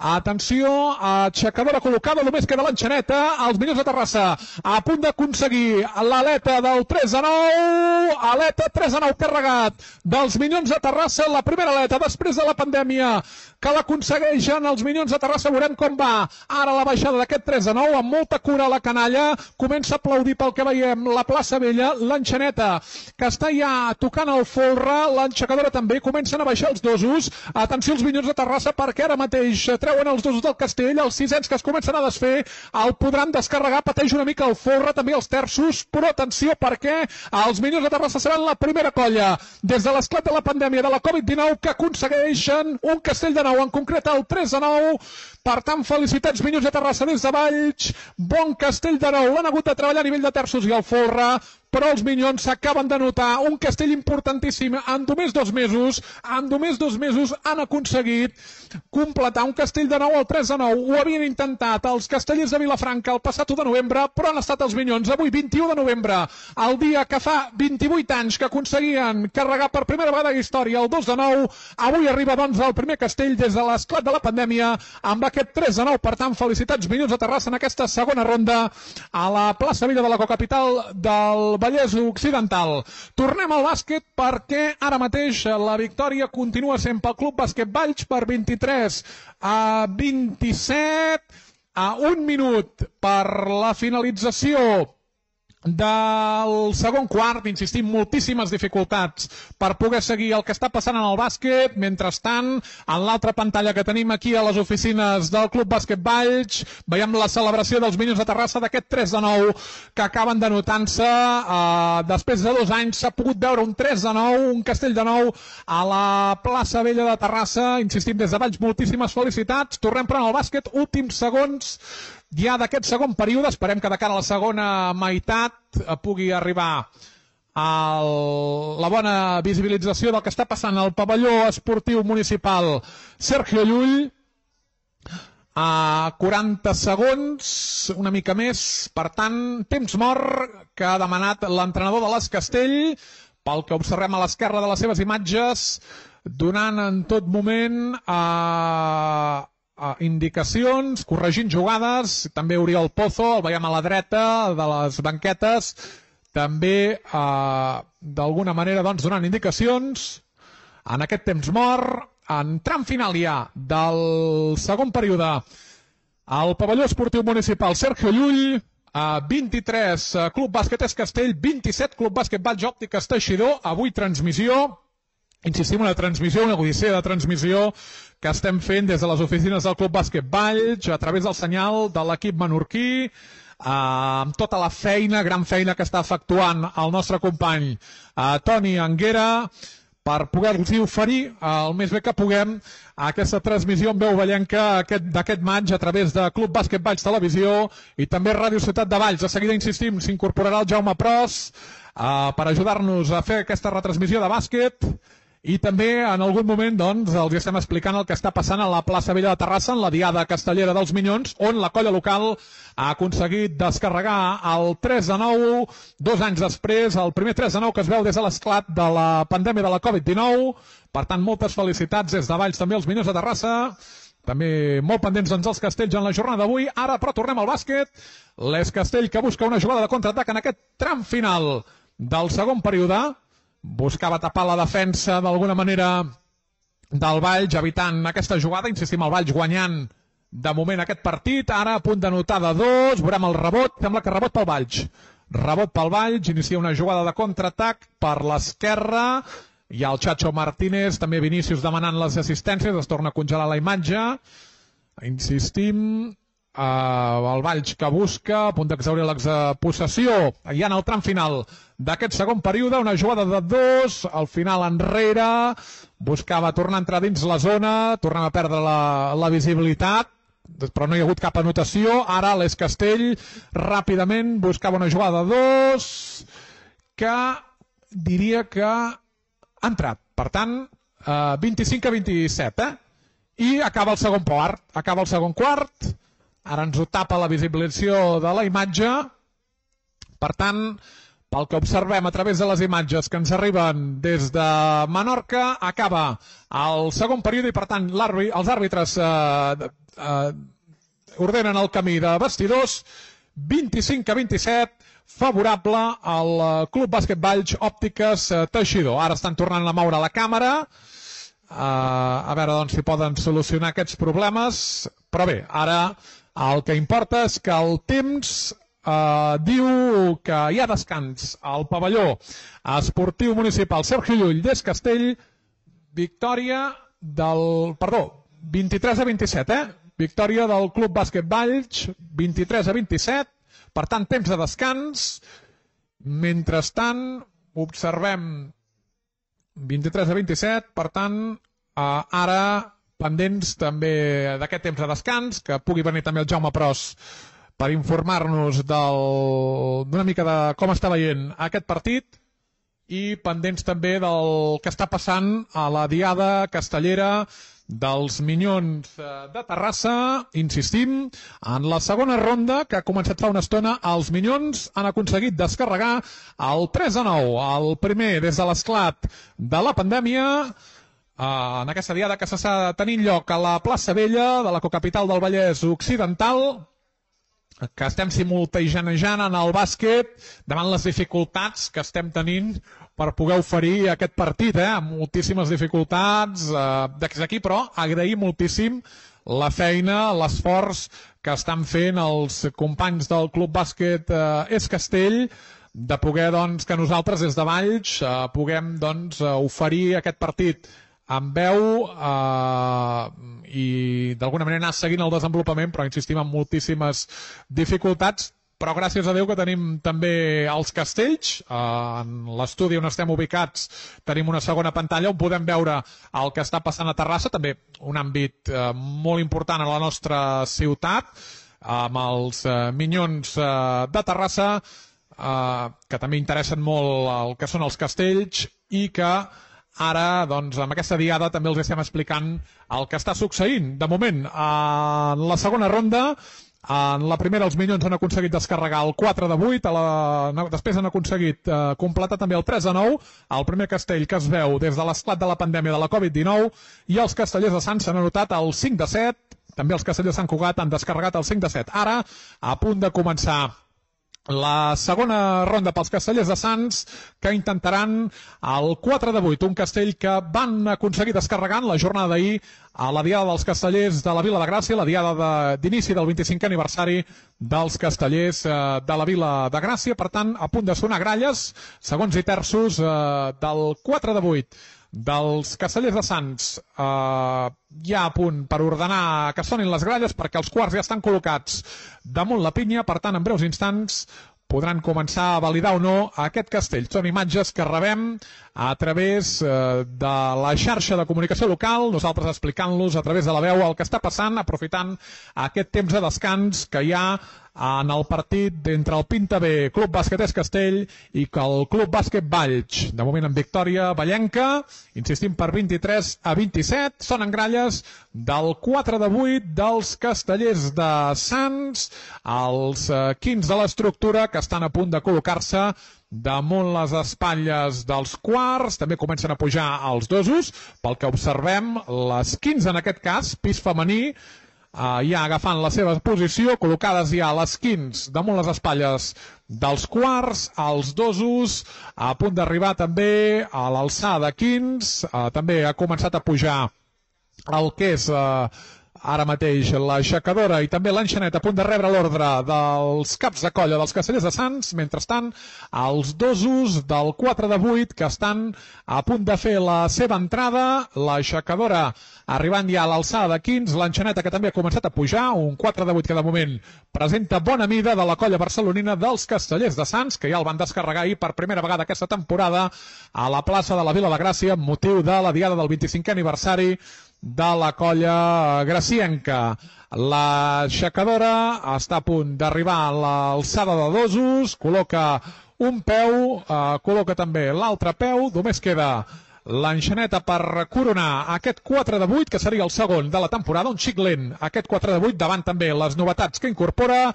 Atenció, aixecadora col·locada, només queda l'enxaneta. Els Minyons de Terrassa a punt d'aconseguir l'aleta del 3-9, aleta 3-9 carregat dels Minyons de Terrassa, la primera aleta després de la pandèmia que l'aconsegueixen els Minyons de Terrassa. Veurem com va ara la baixada d'aquest 3-9, amb molta cura a la canalla, comença a aplaudir pel que veiem la plaça Vella, l'enxaneta que està ja tocant el folre, l'aixecadora també, comencen a baixar els dosos. Atenció als Minyons de Terrassa perquè ara mateix treuen els dosos del castell, els sisens que es comencen a desfer, el podran descarregar, pateix una mica el folre, també els terços, però atenció perquè els Minyons de Terrassa seran la primera colla des de l'esclat de la pandèmia de la Covid-19 que aconsegueixen un castell de nou, en concret el 3-9. Per tant, felicitats Minyons de Terrassa des de Valls, bon castell de nou, l'han hagut de treballar a nivell de terços i el folre, però els Minyons s'acaben de notar un castell importantíssim. En només 2 mesos han aconseguit completar un castell de nou al 3-9. Ho havien intentat els castellers de Vilafranca el passat 1 de novembre, però han estat els Minyons avui, 21 de novembre, el dia que fa 28 anys que aconseguien carregar per primera vegada a la història el 2-9. Avui arriba doncs el primer castell des de l'esclat de la pandèmia amb aquest 3-9. Per tant, felicitats Minyons de Terrassa en aquesta segona ronda a la plaça Vella de la cocapital del Vallès Occidental. Tornem al bàsquet perquè ara mateix la victòria continua sent pel Club Bàsquet Valls per 23-27, a 1 minut per la finalització del segon quart. Insistim, moltíssimes dificultats per poder seguir el que està passant en el bàsquet. Mentrestant, en l'altra pantalla que tenim aquí a les oficines del Club Bàsquet Valls, veiem la celebració dels Minyons de Terrassa d'aquest 3-9 que acaben denotant-se. Després de 2 anys s'ha pogut veure un 3-9, un castell de nou a la plaça Vella de Terrassa. Insistim, des de Valls, moltíssimes felicitats. Tornem però al bàsquet, últims segons ja d'aquest segon període. Esperem que de cara a la segona meitat pugui arribar la bona visibilització del que està passant al pavelló esportiu municipal Sergio Llull. A 40 segons, una mica més. Per tant, temps mort que ha demanat l'entrenador de l'Escastell, pel que observem a l'esquerra de les seves imatges, donant en tot moment indicacions, corregint jugades. També Oriol Pozo, el veiem a la dreta de les banquetes, també d'alguna manera doncs, donant indicacions en aquest temps mort. En tram final ja del segon període al pavelló esportiu municipal Sergio Llull, 23 Club Bàsquet Escastell, 27 Club Bàsquet Valls Òptiques Teixidor. Avui transmissió, insistim, una transmissió, una odissea de transmissió que estem fent des de les oficines del Club Bàsquet Valls a través del senyal de l'equip menorquí, amb tota la feina, gran feina que està efectuant el nostre company Toni Anguera, per poder-los oferir el més bé que puguem aquesta transmissió en veu vallenca d'aquest maig a través de Club Bàsquet Valls Televisió i també Ràdio Ciutat de Valls. De seguida, insistim, s'incorporarà el Jaume Pros per ajudar-nos a fer aquesta retransmissió de bàsquet i també en algun moment doncs, els estem explicant el que està passant a la plaça Vella de Terrassa, en la diada castellera dels Minyons, on la colla local ha aconseguit descarregar el 3-9, 2 anys després, el primer 3-9 que es veu des de l'esclat de la pandèmia de la Covid-19. Per tant, moltes felicitats des de Valls també als Minyons de Terrassa. També molt pendents doncs, els Castells en la jornada d'avui. Ara, però, tornem al bàsquet. L'Es Castell que busca una jugada de contraatac en aquest tram final del segon període. Buscava tapar la defensa d'alguna manera del Valls, evitant aquesta jugada. Insistim, el Valls guanyant de moment aquest partit. Ara a punt de notar de 2. Veurem el rebot. Sembla que rebot pel Valls. Rebot pel Valls. Inicia una jugada de contraatac per l'esquerra. Hi ha el Chacho Martínez, també Vinícius demanant les assistències. Es torna a congelar la imatge. Insistim. El Valls que busca, a punt d'exhaurir l'expossessió ja en el tram final d'aquest segon període, una jugada de 2, al final enrere, buscava tornar a entrar dins la zona, tornem a perdre la visibilitat, però no hi ha hagut cap anotació. Ara l'Es Castell ràpidament buscava una jugada de 2 que diria que ha entrat, per tant 25-27 i acaba el segon quart. Ara ens ho tapa la visibilització de la imatge. Per tant, pel que observem a través de les imatges que ens arriben des de Menorca, acaba el segon període i, per tant, els àrbitres ordenen el camí de vestidors. 25-27, favorable al Club Bàsquet Valls Òptiques Teixidor. Ara estan tornant a moure la càmera. A veure doncs, si poden solucionar aquests problemes. Però bé, ara el que importa és que el temps diu que hi ha descans al pavelló esportiu municipal Sergio Llull d'Es Castell. Victòria del... Perdó, 23-27, victòria del Club Bàsquet Valls, 23-27. Per tant, temps de descans. Mentrestant, observem 23-27, per tant, ara pendents també d'aquest temps de descans, que pugui venir també el Jaume Pros per informar-nos d'una mica de com està veient aquest partit i pendents també del que està passant a la diada castellera dels Minyons de Terrassa. Insistim, en la segona ronda, que ha començat fa una estona, els Minyons han aconseguit descarregar el 3-9, el primer des de l'esclat de la pandèmia, en aquesta diada que s'està tenint lloc a la plaça Vella de la cocapital del Vallès Occidental, que estem simultanejant en el bàsquet davant les dificultats que estem tenint per poder oferir aquest partit, amb moltíssimes dificultats des d'aquí, però agrair moltíssim la feina, l'esforç que estan fent els companys del Club Bàsquet Es Castell, de poder doncs, que nosaltres des de Valls puguem doncs, oferir aquest partit amb veu i d'alguna manera anar seguint el desenvolupament, però insistim en moltíssimes dificultats. Però gràcies a Déu que tenim també els Castells. En l'estudi on estem ubicats tenim una segona pantalla on podem veure el que està passant a Terrassa, també un àmbit molt important a la nostra ciutat, amb els Minyons de Terrassa, que també interessen molt el que són els Castells i que ara, doncs, amb aquesta diada també els estem explicant el que està succeint. De moment, en la segona ronda, en la primera els Minyons han aconseguit descarregar el 4-8, després han aconseguit completar també el 3-9, el primer Castell que es veu des de l'esclat de la pandèmia de la Covid-19, i els castellers de Sants s'han anotat el 5-7, també els castellers de Sant Cugat han descarregat el 5-7. Ara, a punt de començar la segona ronda pels castellers de Sants, que intentaran el 4-8, un castell que van aconseguir descarregar en la jornada d'ahir a la diada dels castellers de la Vila de Gràcia, la diada d'inici del 25è aniversari dels castellers de la Vila de Gràcia. Per tant, a punt de sonar gralles, segons i terços del 4-8 dels Castellers de Sants ja a punt per ordenar que sonin les gralles perquè els quarts ja estan col·locats damunt la pinya, per tant en breus instants podran començar a validar o no aquest castell. Són imatges que rebem a través de la xarxa de comunicació local, nosaltres explicant-los a través de la veu el que està passant, aprofitant aquest temps de descans que hi ha en el partit entre el Pinta B Club Bàsquet Castell i que el Club Bàsquet Valls, de moment en victòria vallenca, insistim per 23-27, són en gralles del 4-8 dels Castellers de Sants, els quins de l'estructura que estan a punt de col·locar-se damunt les espatlles dels quarts, també comencen a pujar els dosos, pel que observem les 15 en aquest cas, pis femení, ja agafant la seva posició, col·locades ja les 15 damunt les espatlles dels quarts, els dosos, a punt d'arribar també a l'alçada 15, també ha començat a pujar el que és ara mateix l'aixecadora i també l'enxaneta a punt de rebre l'ordre dels caps de colla dels Castellers de Sants. Mentrestant, els dosos del 4-8 que estan a punt de fer la seva entrada, l'aixecadora arribant ja a l'alçada de 15, l'enxaneta que també ha començat a pujar, un 4-8 que de moment presenta bona mida de la colla barcelonina dels Castellers de Sants, que ja el van descarregar ahir per primera vegada aquesta temporada a la plaça de la Vila de Gràcia amb motiu de la diada del 25è aniversari de la colla gracienca. L'aixecadora està a punt d'arribar a l'alçada de dosos, col·loca un peu, col·loca també l'altre peu, només queda l'enxaneta per coronar aquest 4-8, que seria el segon de la temporada, un xic lent, aquest 4-8, davant també les novetats que incorpora.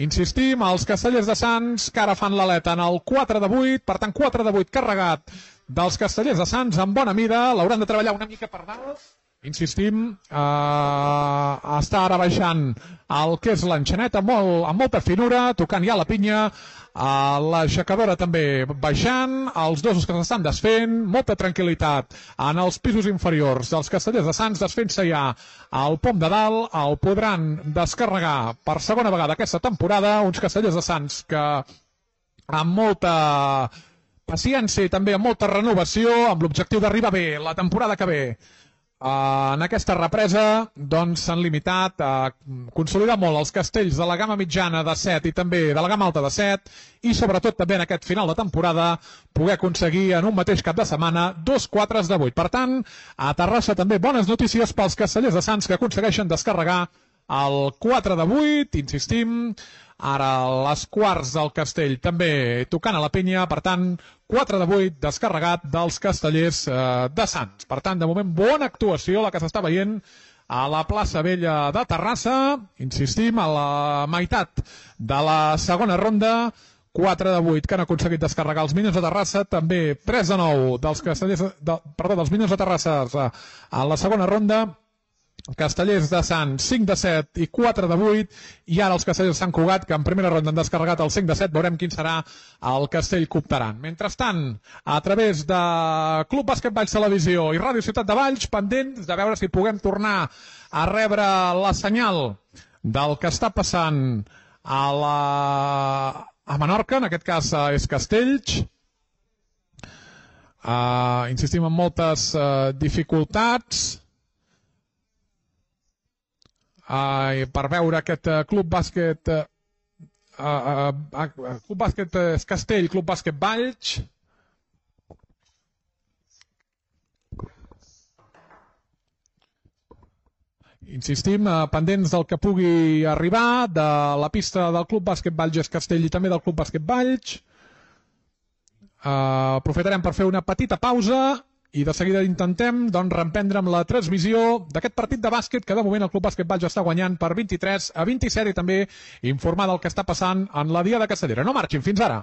Insistim, els Castellers de Sants que ara fan l'aleta en el 4-8, per tant 4-8 carregat dels Castellers de Sants amb bona mida, l'hauran de treballar una mica per dalt. Insistim, està ara baixant el que és l'enxaneta amb molta finura, tocant ja la pinya, l'aixecadora també baixant, els dosos que s'estan desfent, molta tranquil·litat en els pisos inferiors dels Castellers de Sants, desfent-se ja al pom de dalt, el podran descarregar per segona vegada aquesta temporada, uns Castellers de Sants que amb molta paciència i també amb molta renovació, amb l'objectiu d'arribar bé la temporada que ve. En aquesta represa doncs s'han limitat a consolidar molt els castells de la gamma mitjana de 7 i també de la gamma alta de 7 i sobretot també en aquest final de temporada poder aconseguir en un mateix cap de setmana 2 4-8. Per tant, a Terrassa també bones notícies pels Castellers de Sants que aconsegueixen descarregar el 4-8, insistim, ara les quarts del castell també tocant a la penya, per tant 4-8 descarregat dels Castellers de Sants. Per tant, de moment, bona actuació la que s'està veient a la plaça Vella de Terrassa. Insistim, a la meitat de la segona ronda, 4-8 que han aconseguit descarregar els Minions de Terrassa, també 3-9 dels Minions de Terrassa a la segona ronda, Castellers de Sants 5-7 i 4-8, i ara els Castellers de Sant Cugat, que en primera ronda han descarregat el 5-7, veurem quin serà el castell que optaran. Mentrestant, a través de Club Bàsquet Valls Televisió i Ràdio Ciutat de Valls, pendents de veure si puguem tornar a rebre la senyal del que està passant a Menorca, en aquest cas és Castells. Insistim en moltes dificultats per veure aquest Club Bàsquet Club Bàsquet Castell, Club Bàsquet Valls. Insistim, pendents del que pugui arribar de la pista del Club Bàsquet Valls Castell i també del Club Bàsquet Valls. Aprofitarem per fer una petita pausa i de seguida intentem reemprendre amb la transmissió d'aquest partit de bàsquet que de moment el Club Bàsquet Valls està guanyant per 23-27 i també informar del que està passant en la Diada Castellera. No marxin, fins ara.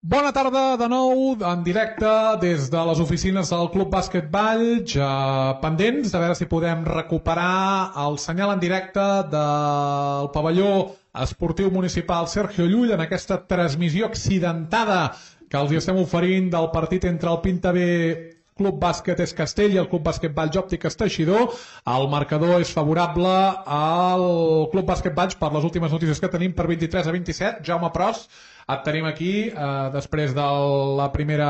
Bona tarda de nou, en directe des de les oficines del Club Bàsquet Valls, pendents de veure si podem recuperar el senyal en directe del pavelló esportiu municipal Sergio Llull en aquesta transmissió accidentada que els estem oferint del partit entre el Pintabé Club Bàsquet Es Castell i el Club Bàsquet Valls Òptiques Teixidor. El marcador és favorable al Club Bàsquet Valls per les últimes notícies que tenim per 23-27. Jaume Pros, et tenim aquí després de la primera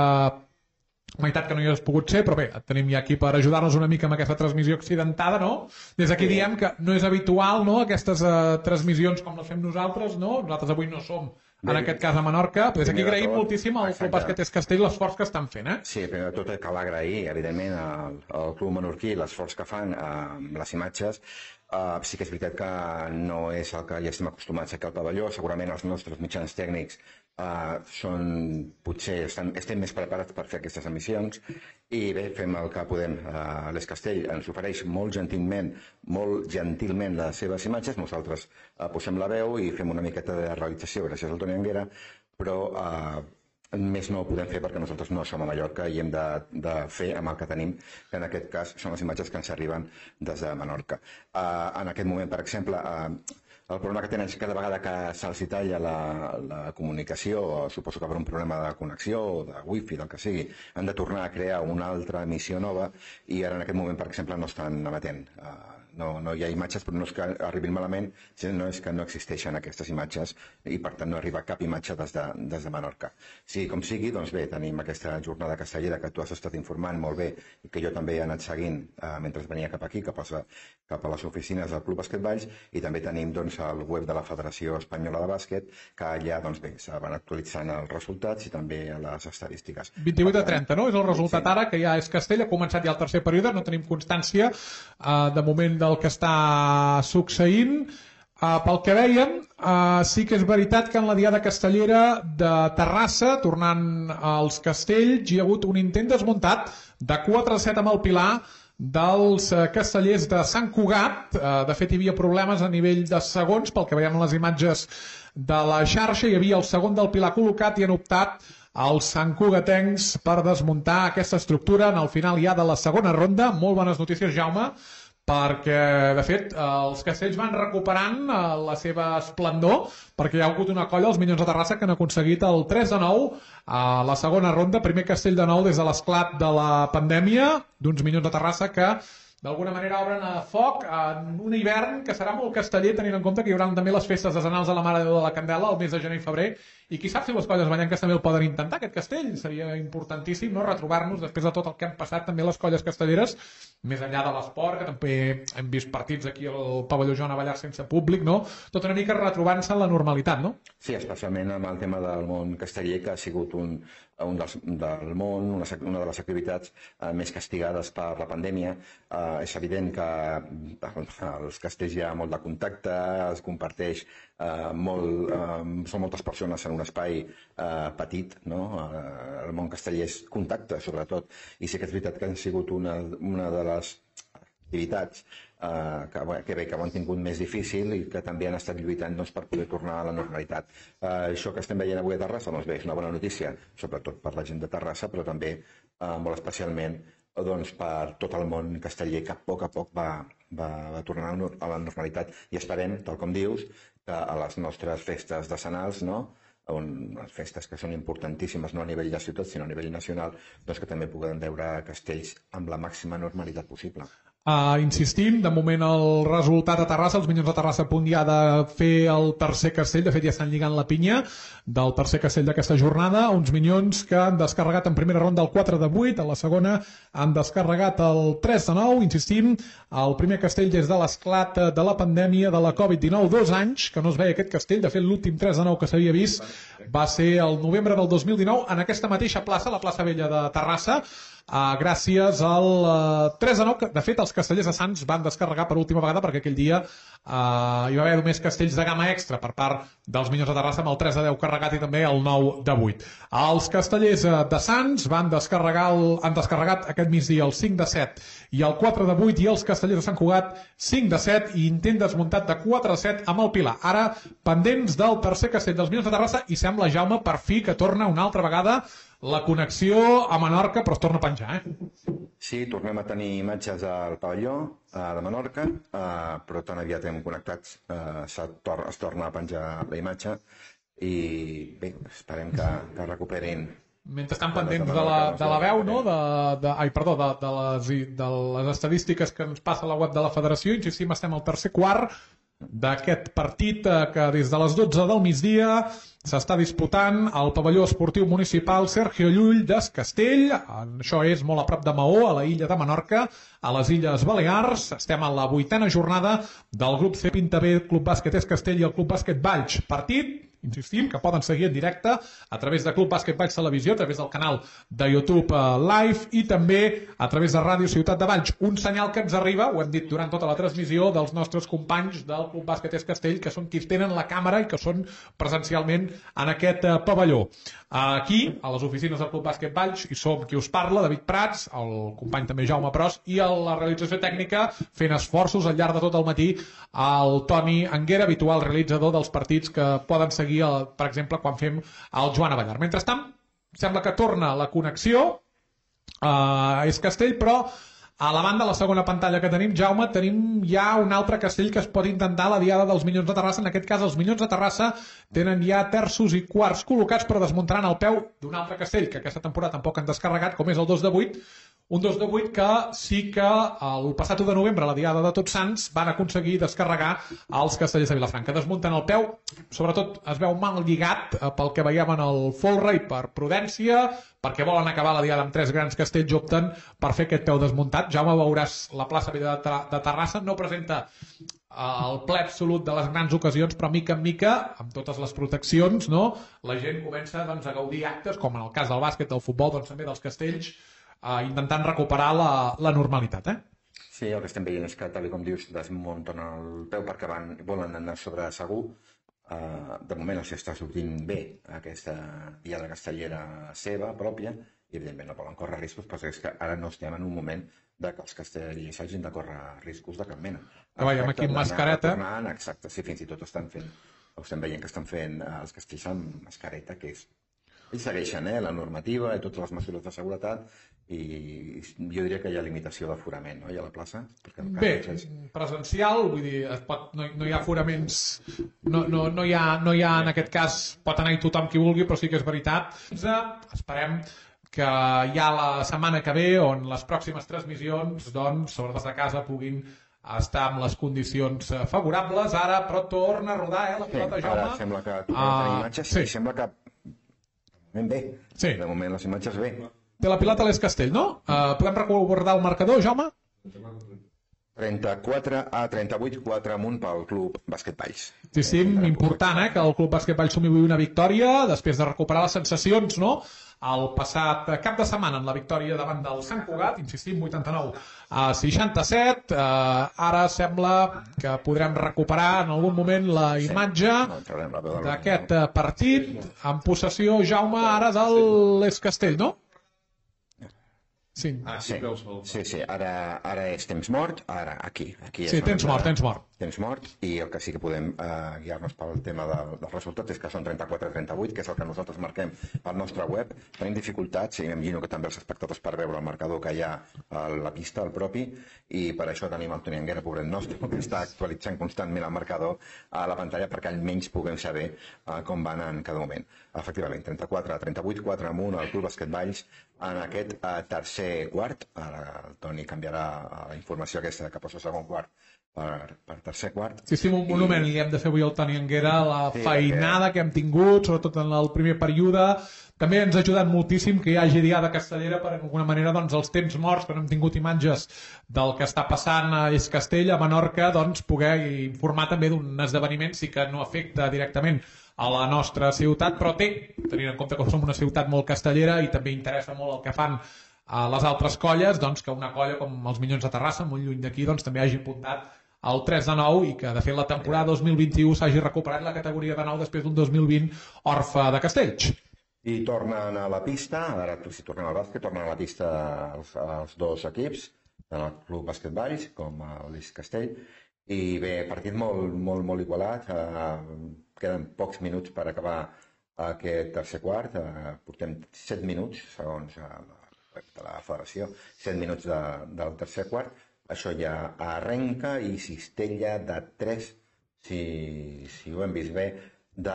meitat que no hi has pogut ser, però bé, et tenim ja aquí per ajudar-nos una mica amb aquesta transmissió accidentada, no? Des d'aquí diem que no és habitual, no?, aquestes transmissions com les fem nosaltres, no? Nosaltres avui no som, en aquest cas a Menorca, però des d'aquí agraïm moltíssim al Club Bàsquet Es Castell l'esforç que estan fent, Sí, primer de tot cal agrair, evidentment, al Club Menorquí l'esforç que fan amb les imatges. Sí que és veritat que no és el que ja estem acostumats aquí al pavelló. Segurament els nostres mitjans tècnics potser estem més preparats per fer aquestes emissions i bé, fem el que podem. L'Es Castell ens ofereix molt gentilment les seves imatges, nosaltres posem la veu i fem una miqueta de realització gràcies al Toni Anguera, però més no ho podem fer perquè nosaltres no som a Mallorca i hem de fer amb el que tenim, que en aquest cas són les imatges que ens arriben des de Menorca. En aquest moment, per exemple, el problema que tenen és que cada vegada que se'ls talla la comunicació, suposo que per un problema de connexió o de wifi, del que sigui, han de tornar a crear una altra emissió nova i ara en aquest moment, per exemple, no estan emetent. No hi ha imatges, però no és que arribin malament, sinó és que no existeixen aquestes imatges i per tant no arriba cap imatge des de Menorca. Sí, com sigui, doncs bé, tenim aquesta jornada castellera que tu has estat informant molt bé i que jo també he anat seguint mentre venia cap aquí, cap a les oficines del Club Bàsquet Valls, i també tenim doncs el web de la Federació Espanyola de Bàsquet, que allà doncs bé, se van actualitzant els resultats i també les estadístiques. 28-30, no? És el resultat ara, que ja És Castell, ha començat ja el tercer període, no tenim constància de moment del que està succeint. Pel que veiem, sí que és veritat que en la diada castellera de Terrassa, tornant als Castells, hi ha hagut un intent desmuntat de 4-7 amb el Pilar dels castellers de Sant Cugat. De fet, hi havia problemes a nivell de segons, pel que veiem en les imatges de la xarxa. Hi havia el segon del Pilar col·locat i han optat els santcugatencs per desmuntar aquesta estructura en el final ja de la segona ronda. Molt bones notícies, Jaume, perquè, de fet, els castells van recuperant la seva esplendor, perquè hi ha hagut una colla, els Minyons de Terrassa, que han aconseguit el 3-9 a la segona ronda, primer castell de nou des de l'esclat de la pandèmia, d'uns Minyons de Terrassa que d'alguna manera obren a foc en un hivern que serà molt casteller, tenint en compte que hi haurà també les festes desenals de la Mare de Déu de la Candela el mes de gener i febrer, i qui sap si les colles ballenques també el poden intentar, aquest castell. Seria importantíssim, no?, retrobar-nos després de tot el que han passat també les colles castelleres, més enllà de l'esport, que també hem vist partits aquí al pavelló Joan Abellar sense públic, no? Tot una mica retrobant-se en la normalitat, no? Sí, especialment amb el tema del món casteller, que ha sigut del món, una de les activitats més castigades per la pandèmia. És evident que als castells hi ha molt de contacte, es comparteix molt, són moltes persones en un espai petit, no? El món casteller és contacte, sobretot, i sí que és veritat que han sigut una de les activitats que ho han tingut més difícil i que també han estat lluitant per poder tornar a la normalitat. Això que estem veient avui a Terrassa, doncs bé, és una bona notícia, sobretot per la gent de Terrassa, però també molt especialment per tot el món casteller, que a poc va tornar a la normalitat. I esperem, tal com dius, que a les nostres festes decenals, unes festes que són importantíssimes no a nivell de ciutat sinó a nivell nacional, doncs que també puguem veure castells amb la màxima normalitat possible. Insistim, de moment el resultat a Terrassa, els Minyons de Terrassa a punt ja de fer el tercer castell, de fet ja estan lligant la pinya del tercer castell d'aquesta jornada, uns Minyons que han descarregat en primera ronda el 4-8, a la segona han descarregat el 3-9, insistim, el primer castell des de l'esclat de la pandèmia de la Covid-19, 2 anys que no es veia aquest castell, de fet l'últim 3-9 que s'havia vist va ser el novembre del 2019 en aquesta mateixa plaça, la plaça Vella de Terrassa. gràcies al 3-9, que de fet els castellers de Sants van descarregar per última vegada perquè aquell dia hi va haver només castells de gamma extra per part dels Minyons de Terrassa amb el 3-10 carregat i també el 9-8. Els castellers de Sants han descarregat aquest migdia el 5-7 i el 4-8 i els castellers de Sant Cugat 5-7 i intent desmuntat de 4-7 amb el Pilar. Ara pendents del tercer castell dels Minyons de Terrassa i sembla, Jaume, per fi que torna una altra vegada la connexió a Menorca, però es torna a penjar, Sí, tornem a tenir imatges al pavelló de Menorca, però tan aviat hem connectats, es torna a penjar la imatge i bé, esperem que recuperin. Mentre estan pendents de la veu, no? de les estadístiques que ens passa a la web de la federació, insistim, estem al tercer quart d'aquest partit que des de les 12 del migdia s'està disputant al pavelló esportiu municipal Sergio Llull d'Es Castell. Això és molt a prop de Maó, a la illa de Menorca, a les Illes Balears. Estem a la 8a jornada del grup C Pintabé, Club Bàsquet Es Castell i el Club Bàsquet Valls. Partit, insistim, que poden seguir en directe a través de Club Bàsquet Valls Televisió, a través del canal de YouTube Live i també a través de Ràdio Ciutat de Valls. Un senyal que ens arriba, ho hem dit durant tota la transmissió, dels nostres companys del Club Bàsquet Es Castell, que són qui tenen la càmera i que són presencialment en aquest pavelló. Aquí, a les oficines del Club Bàsquet Valls, hi som qui us parla, David Prats, el company també Jaume Pros, i a la realització tècnica, fent esforços al llarg de tot el matí, el Toni Anguera, habitual realitzador dels partits que poden seguir, per exemple, quan fem el Joan Avellar. Mentrestant, sembla que torna la connexió a Es Castell, però a la banda, a la segona pantalla que tenim, Jaume, tenim ja un altre castell que es pot intentar la diada dels Minyons de Terrassa. En aquest cas, els Minyons de Terrassa tenen ja terços i quarts col·locats, però desmuntaran el peu d'un altre castell que aquesta temporada tampoc han descarregat, com és el 2-8, un 2-8 que sí que el passat 1 de novembre, a la diada de Tots Sants, van aconseguir descarregar els castellers de Vilafranca. Desmunten el peu, sobretot es veu mal lligat pel que veiem en el folre i per prudència, perquè volen acabar la diada amb 3 grans castells, opten per fer aquest peu desmuntat. Jaume, veuràs la plaça Vella de Terrassa, no presenta el ple absolut de les grans ocasions, però mica en mica, amb totes les proteccions, no? La gent comença doncs, a gaudir actes, com en el cas del bàsquet, del futbol, doncs, també dels castells, intentant recuperar la normalitat. Sí, el que estem veient és que, tal com dius, desmunten el peu perquè volen anar sobre segur. De moment els està sortint bé aquesta diada castellera seva, pròpia, i evidentment no volen córrer riscos, però és que ara no estem en un moment que els castellers hagin de córrer riscos de cap mena. Que veiem aquí amb mascareta. Exacte, sí, fins i tot estem veient que estan fent els castells amb mascareta, que és... Ells segueixen la normativa i totes les mesures de seguretat i jo diria que hi ha limitació d'aforament, no? Hi ha a la plaça. Bé, presencial, vull dir, no hi ha aforaments, no hi ha en aquest cas, pot anar-hi tothom qui vulgui, però sí que és veritat. Esperem que ja la setmana que ve, on les pròximes transmissions, doncs, sobre des de casa puguin estar amb les condicions favorables. Ara, però torna a rodar, la pilota, Jaume. Ara sembla que torna a tenir imatges, sí, sembla que bé. Sí. De moment les imatges bé. Té la pilota a l'Es Castell, no? Podem recordar el marcador, Jaume? 34-38, 4 amunt pel Club Bàsquet Valls. Sí, important, que el Club Bàsquet Valls sumi avui una victòria després de recuperar les sensacions, no? El passat cap de setmana en la victòria davant del Sant Cugat, insistim, 89-67. Ara sembla que podrem recuperar en algun moment la imatge d'aquest partit en possessió, Jaume, ara de l'Es Castell, no? Sí, ara és temps mort, ara aquí. Sí, temps mort. Temps mort, i el que sí que podem guiar-nos pel tema del resultat és que són 34-38, que és el que nosaltres marquem al nostre web. Tenim dificultats, i m'imagino que també els espectadors, per veure el marcador que hi ha a la pista, el propi, i per això tenim el Toni Anguera, pobret nostre, que està actualitzant constantment el marcador a la pantalla perquè almenys puguem saber com van en cada moment. Efectivament, 34-38, 4 amunt al Club Bàsquet Valls en aquest tercer quart. Ara el Toni canviarà la informació aquesta que posa segon quart per tercer quart. Sí, un monument li hem de fer avui al Toni Anguera, la feinada que hem tingut, sobretot en el primer període. També ens ha ajudat moltíssim que hi hagi diada castellera per, d'alguna manera, doncs, els temps morts, que no hem tingut imatges del que està passant a Es Castell, a Menorca, doncs, poder informar també d'un esdeveniment, sí que no afecta directament a la nostra ciutat, però tenint en compte que som una ciutat molt castellera i també interessa molt el que fan a les altres colles, doncs, que una colla com els Minyons de Terrassa, molt lluny d'aquí, doncs, també hagi apuntat el 3 de 9 i que, de fet, la temporada 2021 s'hagi recuperat la categoria de 9 després d'un 2020 orfe de Castells. I tornen a la pista, ara si tornem al bàsquet, tornen a la pista els dos equips, tant el Club Bàsquet Valls com l'Eix Castell, i bé, partit molt igualat, queden pocs minuts per acabar aquest tercer quart, portem 7 minuts, segons la federació, 7 minuts del tercer quart, això ja arrenca i cistella de 3, si ho hem vist bé, de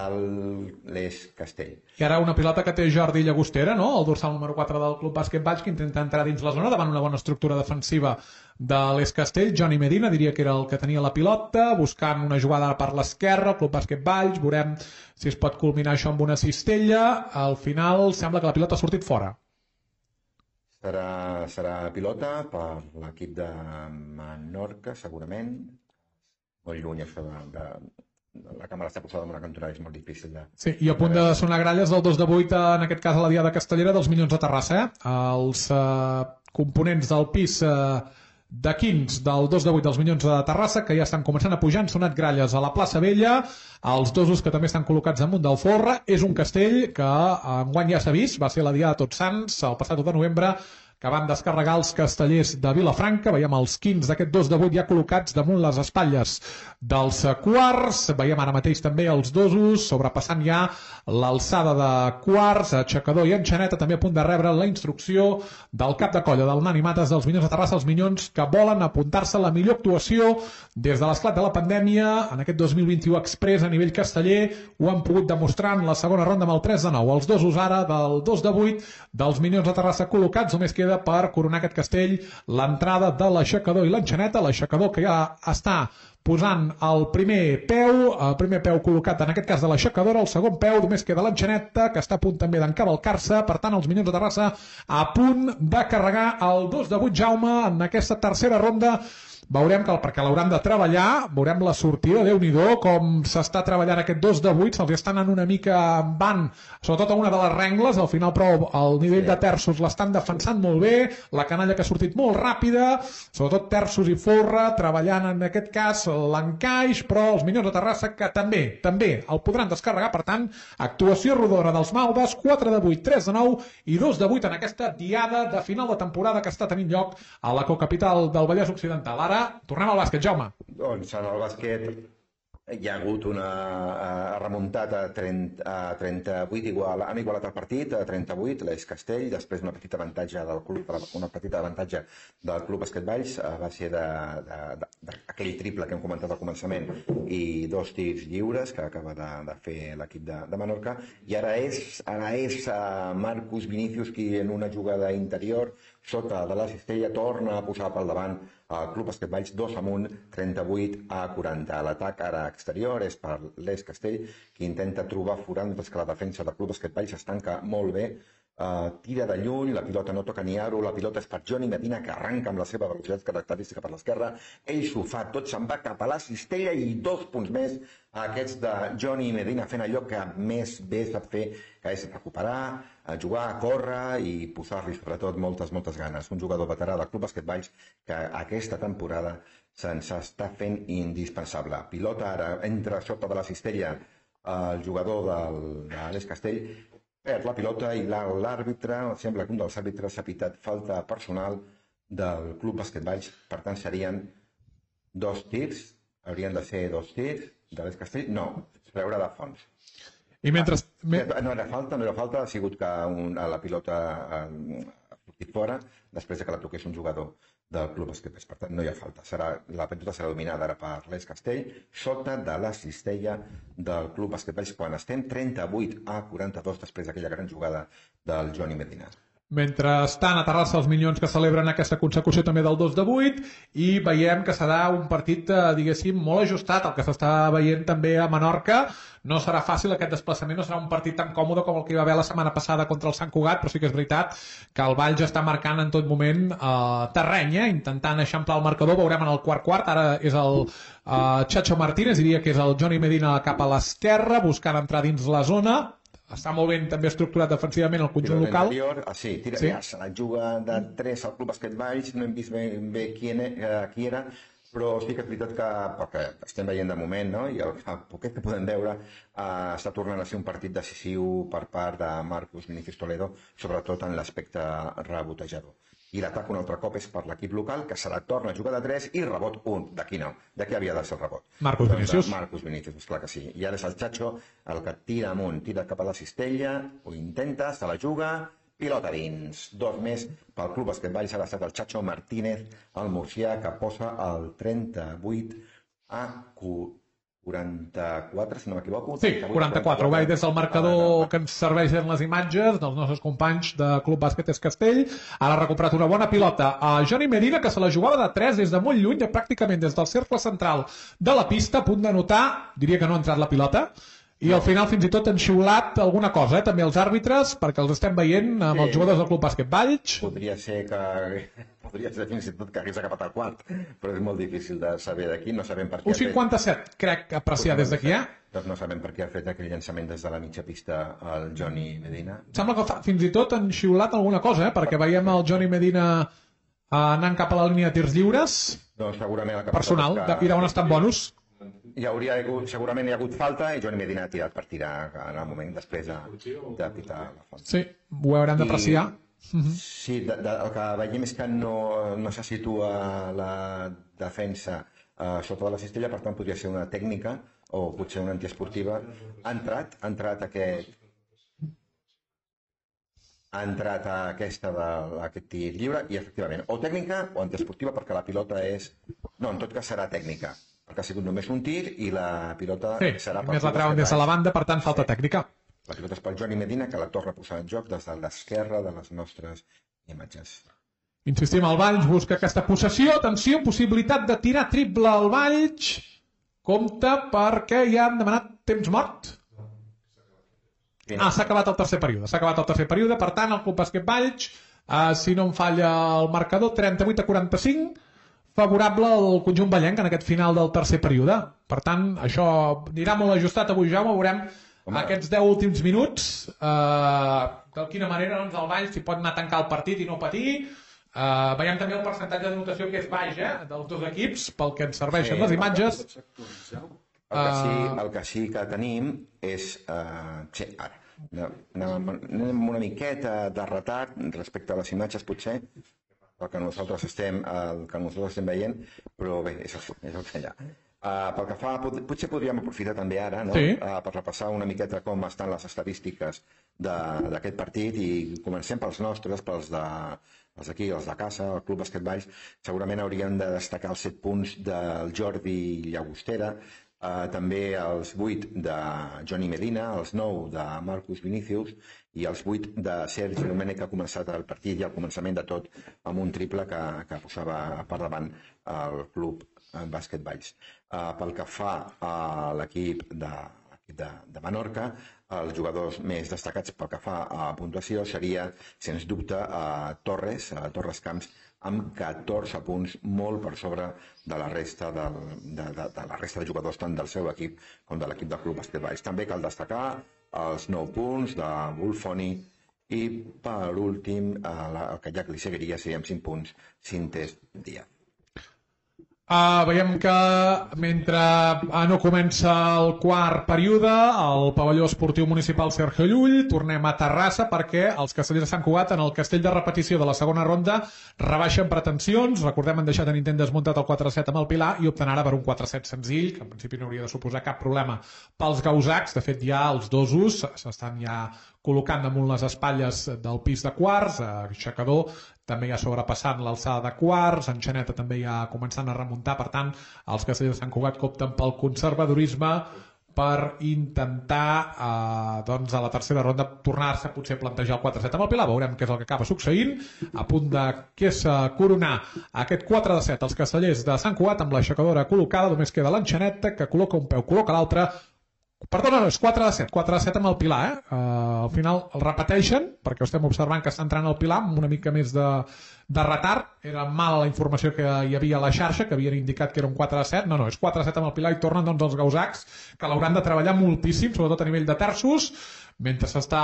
l'Eix Castell. I ara una pilota que té Jordi Llagostera, no? El dorsal número 4 del Club Bàsquet Valls, que intenta entrar dins la zona davant una bona estructura defensiva de l'Eix Castell. Johnny Medina diria que era el que tenia la pilota, buscant una jugada per l'esquerra, el Club Bàsquet Valls, veurem si es pot culminar això amb una cistella. Al final sembla que la pilota ha sortit fora. Serà pilota per l'equip de Menorca, segurament. Molt lluny això la càmera està posada en una cantonada, és molt difícil de... Sí, i a punt de sonar gralles del 2 de 8, en aquest cas a la Diada Castellera dels Minyons de Terrassa. Els components del pis de 15 del 2 de 8 dels Minyons de Terrassa, que ja estan començant a pujar, han sonat gralles a la plaça Vella, els dosos que també estan col·locats damunt del folre. És un castell que enguany ja s'ha vist, va ser la Diada de Tots Sants, el passat 1 de novembre, que van descarregar els castellers de Vilafranca. Veiem els 15 d'aquest 2 de 8 ja col·locats damunt les espatlles dels quarts. Veiem ara mateix també els dosos sobrepassant ja l'alçada de quarts, aixecador i enxaneta, també a punt de rebre la instrucció del cap de colla del Nani Mates dels Minyons de Terrassa, els Minyons que volen apuntar-se a la millor actuació des de l'esclat de la pandèmia. En aquest 2021 express a nivell casteller ho han pogut demostrar en la segona ronda amb el 3 de 9. Els dosos ara del 2 de 8 dels Minyons de Terrassa col·locats. Només queda per coronar aquest castell l'entrada de l'aixecador i l'enxaneta. L'aixecador que ja està posant el primer peu col·locat en aquest cas de l'aixecadora, el segon peu només queda l'enxaneta, que està a punt també d'encavalcar-se. Per tant, els Minyons de Terrassa a punt de carregar el 2 de 8, Jaume, en aquesta tercera ronda. Veurem que perquè l'hauran de treballar, veurem la sortida, Déu-n'hi-do, com s'està treballant aquest 2 de 8, se'ls està anant una mica en van, sobretot a una de les rengles, al final però el nivell de terços l'estan defensant molt bé, la canalla que ha sortit molt ràpida, sobretot terços i folre, treballant en aquest cas l'encaix, però els Minyons de Terrassa que també el podran descarregar. Per tant, actuació rodona dels Maldes, 4 de 8, 3 de 9 i 2 de 8 en aquesta diada de final de temporada que està tenint lloc a la cocapital del Vallès Occidental. Ara tornem al bàsquet, Jaume. Doncs en el bàsquet hi ha hagut una remuntada a 38, han igualat el partit a 38, l'Eix Castell, després una petita avantatge del Club Bàsquet Valls, a base d'aquell triple que hem comentat al començament i 2 tirs lliures que acaba de fer l'equip de Menorca, i ara és Marcus Vinícius qui en una jugada interior sota de la cistella torna a posar pel davant el Club Bàsquet Valls 2 amunt, 38-40. L'atac ara exterior és per l'Eix Castell, que intenta trobar forat, mentre que la defensa del Club Bàsquet Valls es tanca molt bé. Tira de lluny, la pilota no toca ni aro, la pilota és per Johnny Medina, que arranca amb la seva velocitat característica per l'esquerra. Ell s'ho fa, tot se'n va cap a la cistella i 2 punts més a aquests de Johnny Medina, fent allò que més bé sap fer, que és recuperar, jugar, córrer i posar-li sobretot moltes ganes. Un jugador veterà del Club Bàsquet Valls que aquesta temporada se'ns està fent indispensable. Pilota ara entra sota de la cistella el jugador de l'Eix Castell, perd la pilota i l'àrbitre, sembla que un dels àrbitres ha pitat falta personal del Club Bàsquet Valls. Per tant, serien 2 tirs, haurien de ser 2 tirs de l'Eix Castell. No, es veurà de fons. I mentre... No era falta, ha sigut que la pilota ha sortit fora després que la toqués un jugador del Club Bàsquet Valls. Per tant, no hi ha falta. La pilota serà dominada ara per l'Eix Castell sota de la cistella del Club Bàsquet Valls quan estem 38-42 després d'aquella gran jugada del Johnny Medina. Mentre estan a Terrassa els Minyons que celebren aquesta consecució també del 2 de 8 i veiem que serà un partit, diguéssim, molt ajustat. El que s'està veient també a Menorca, no serà fàcil aquest desplaçament, no serà un partit tan còmode com el que hi va haver la setmana passada contra el Sant Cugat, però sí que és veritat que el Valls està marcant en tot moment terreny, intentant eixamplar el marcador. Veurem en el quart, ara és el Chacho Martínez, diria que és el Johnny Medina cap a l'esquerra, buscant entrar dins la zona. està molt ben també estructurat defensivament el conjunt local. Sí, se la juga de 3 al Club Bàsquet Valls, no hem vist ben bé qui era, però sí que és veritat que, perquè estem veient de moment, no? I el poquet que podem veure, està tornant a ser un partit decisiu per part de Marcus Vinícius Toledo, sobretot en l'aspecte rebotejador. I l'atac un altre cop és per l'equip local, que se la torna a jugar de 3 i rebot 1. De qui no? De qui havia de ser el rebot? Marcus Vinícius. Marcus Vinícius, esclar que sí. I ara és el Chacho el que tira amunt, tira cap a la cistella, ho intenta, se la juga, pilota dins. 2 més pel Club Bàsquet Valls, ha estat el Chacho Martínez, el murcià, que posa el 38 a 44, si no m'equivoco. Sí, 44. Ho veig des del marcador que ens serveixen les imatges dels nostres companys de Club Bàsquet Castell. Ara ha recuperat una bona pilota a Johnny Medina, que se la jugava de 3 des de molt lluny, pràcticament des del cercle central de la pista, a punt de notar, diria que no ha entrat la pilota, i al final fins i tot han xiulat alguna cosa, també els àrbitres, perquè els estem veient amb els jugadors del Club Bàsquet Valls. Podria ser fins i tot que hagués acabat el quart, però és molt difícil de saber d'aquí, no sabem per què. 1,57, crec, apreciar des d'aquí, Doncs no sabem per què ha fet aquell llançament des de la mitja pista al Johnny Medina. Sembla que fins i tot han xiulat alguna cosa, perquè veiem el Johnny Medina anant cap a la línia de tirs lliures. Doncs segurament personal, i d'on estan bonus. Segurament hi ha hagut falta i Johnny Medina ha tirat per tirar en el moment després de pitar la falta. Sí, ho haurem d'apreciar. Sí, el que veiem és que no se situa la defensa sota de la cistella, per tant podria ser una tècnica o potser una antiesportiva. Ha entrat aquest tir lliure i efectivament o tècnica o antiesportiva, perquè la pilota és... No, en tot cas serà tècnica, perquè ha sigut només un tir i la pilota serà... Sí, més la treuen des de la banda, per tant falta tècnica. La pilota és pel Johnny Medina, que la torna a posar en joc des de l'esquerra de les nostres imatges. Insistim, el Valls busca aquesta possessió. Atenció, possibilitat de tirar triple al Valls. Compte perquè ja han demanat temps mort. S'ha acabat el tercer període. Per tant, el Club Bàsquet Valls, si no em falla el marcador, 38-45, favorable al conjunt vallenc en aquest final del tercer període. Per tant, això anirà molt ajustat avui, Jaume. Veurem aquests 10 últims minuts, de quina manera el Valls s'hi pot anar a tancar el partit i no patir. Veiem també el percentatge de notació que és baix, dels dos equips, pel que ens serveixen les imatges. El que sí que tenim és... Ara, anem una miqueta de retard respecte a les imatges, potser, el que nosaltres estem veient, però bé, és el que hi ha. Pel que fa, potser podríem aprofitar també ara per repassar una miqueta com estan les estadístiques d'aquest partit i comencem pels nostres, pels d'aquí, els de casa, el Club Bàsquet Valls. Segurament hauríem de destacar els 7 punts del Jordi Llagostera, també els 8 de Johnny Medina, els 9 de Marcus Vinícius i els 8 de Sergi Domènech, que ha començat el partit i al començament de tot amb un triple que posava per davant el Club Bàsquet Valls. Pel que fa a l'equip de Menorca, els jugadors més destacats pel que fa a puntuació seria, sens dubte, Torres Camps, amb 14 punts, molt per sobre de la resta de jugadors, tant del seu equip com de l'equip del Club Bàsquet Valls. També cal destacar els 9 punts de Wolfoni i, per últim, el que ja li seguiria seria amb 5 punts, Cintes Díaz. Veiem que mentre no comença el quart període, al pavelló esportiu municipal Sergio Llull, tornem a Terrassa perquè els castellers de Sant Cugat en el castell de repetició de la segona ronda rebaixen pretensions. Recordem, han deixat en intent desmuntat el 4-7 amb el Pilar i opten ara per un 4-7 senzill, que en principi no hauria de suposar cap problema pels gausacs. De fet, ja els dosos s'estan ja col·locant damunt les espatlles del pis de quarts, aixecador també ja sobrepassant l'alçada de quarts, Enxaneta també ja començant a remuntar. Per tant, els castellers de Sant Cugat opten pel conservadorisme per intentar a la tercera ronda tornar-se potser a plantejar el 4-7 amb el Pilar. Veurem què és el que acaba succeint. A punt de coronar aquest 4-7 els castellers de Sant Cugat amb l'aixecadora col·locada. Només queda l'Enxaneta, que col·loca un peu, col·loca l'altre. Perdona, no, és 4-7 amb el Pilar. Al final el repeteixen, perquè estem observant que està entrant el Pilar amb una mica més de retard. Era mala la informació que hi havia a la xarxa, que havien indicat que era un 4-7. No, és 4-7 amb el Pilar i tornen els gausacs, que l'hauran de treballar moltíssim, sobretot a nivell de terços. mentre s'està,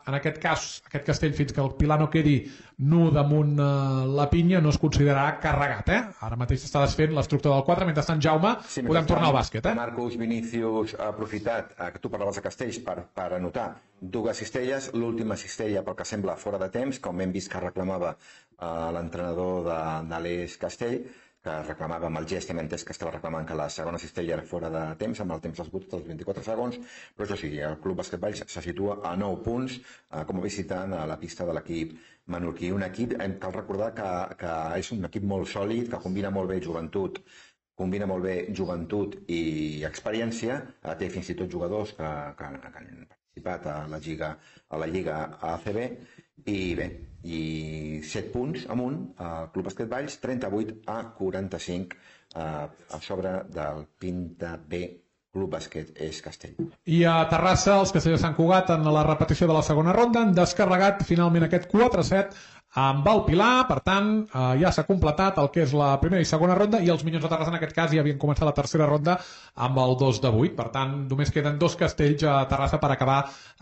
en aquest cas, aquest castell, fins que el pilar no quedi nu damunt la pinya, no es considerarà carregat, Ara mateix s'està desfent l'estructura del 4, mentrestant, Jaume, podem tornar al bàsquet, Marcus Vinícius ha aprofitat que tu parlaves de castells per anotar dues cistelles, l'última cistella pel que sembla fora de temps, com hem vist que reclamava l'entrenador de l'Eix Castell, que reclamava amb el gest, hem entès que estava reclamant que la segona cistella era fora de temps, amb el temps esgotat dels 24 segons, però això sí, el Club Bàsquet Valls se situa a 9 punts com a visitant a la pista de l'equip menorquí. Un equip, cal recordar que és un equip molt sòlid, que combina molt bé joventut i experiència, té fins i tot jugadors que han participat a la Lliga ACB, i bé, i 7 punts amunt, el Club Bàsquet Valls, 38-45 a sobre del Pinta B Club Bàsquet Eix Castell. I a Terrassa, els castellers Sant Cugat, en la repetició de la segona ronda, han descarregat finalment aquest 4-7 amb el Pilar. Per tant, ja s'ha completat el que és la primera i segona ronda, i els Minyons de Terrassa en aquest cas ja havien començat la tercera ronda amb el 2-8. Per tant, només queden 2 castells a Terrassa per acabar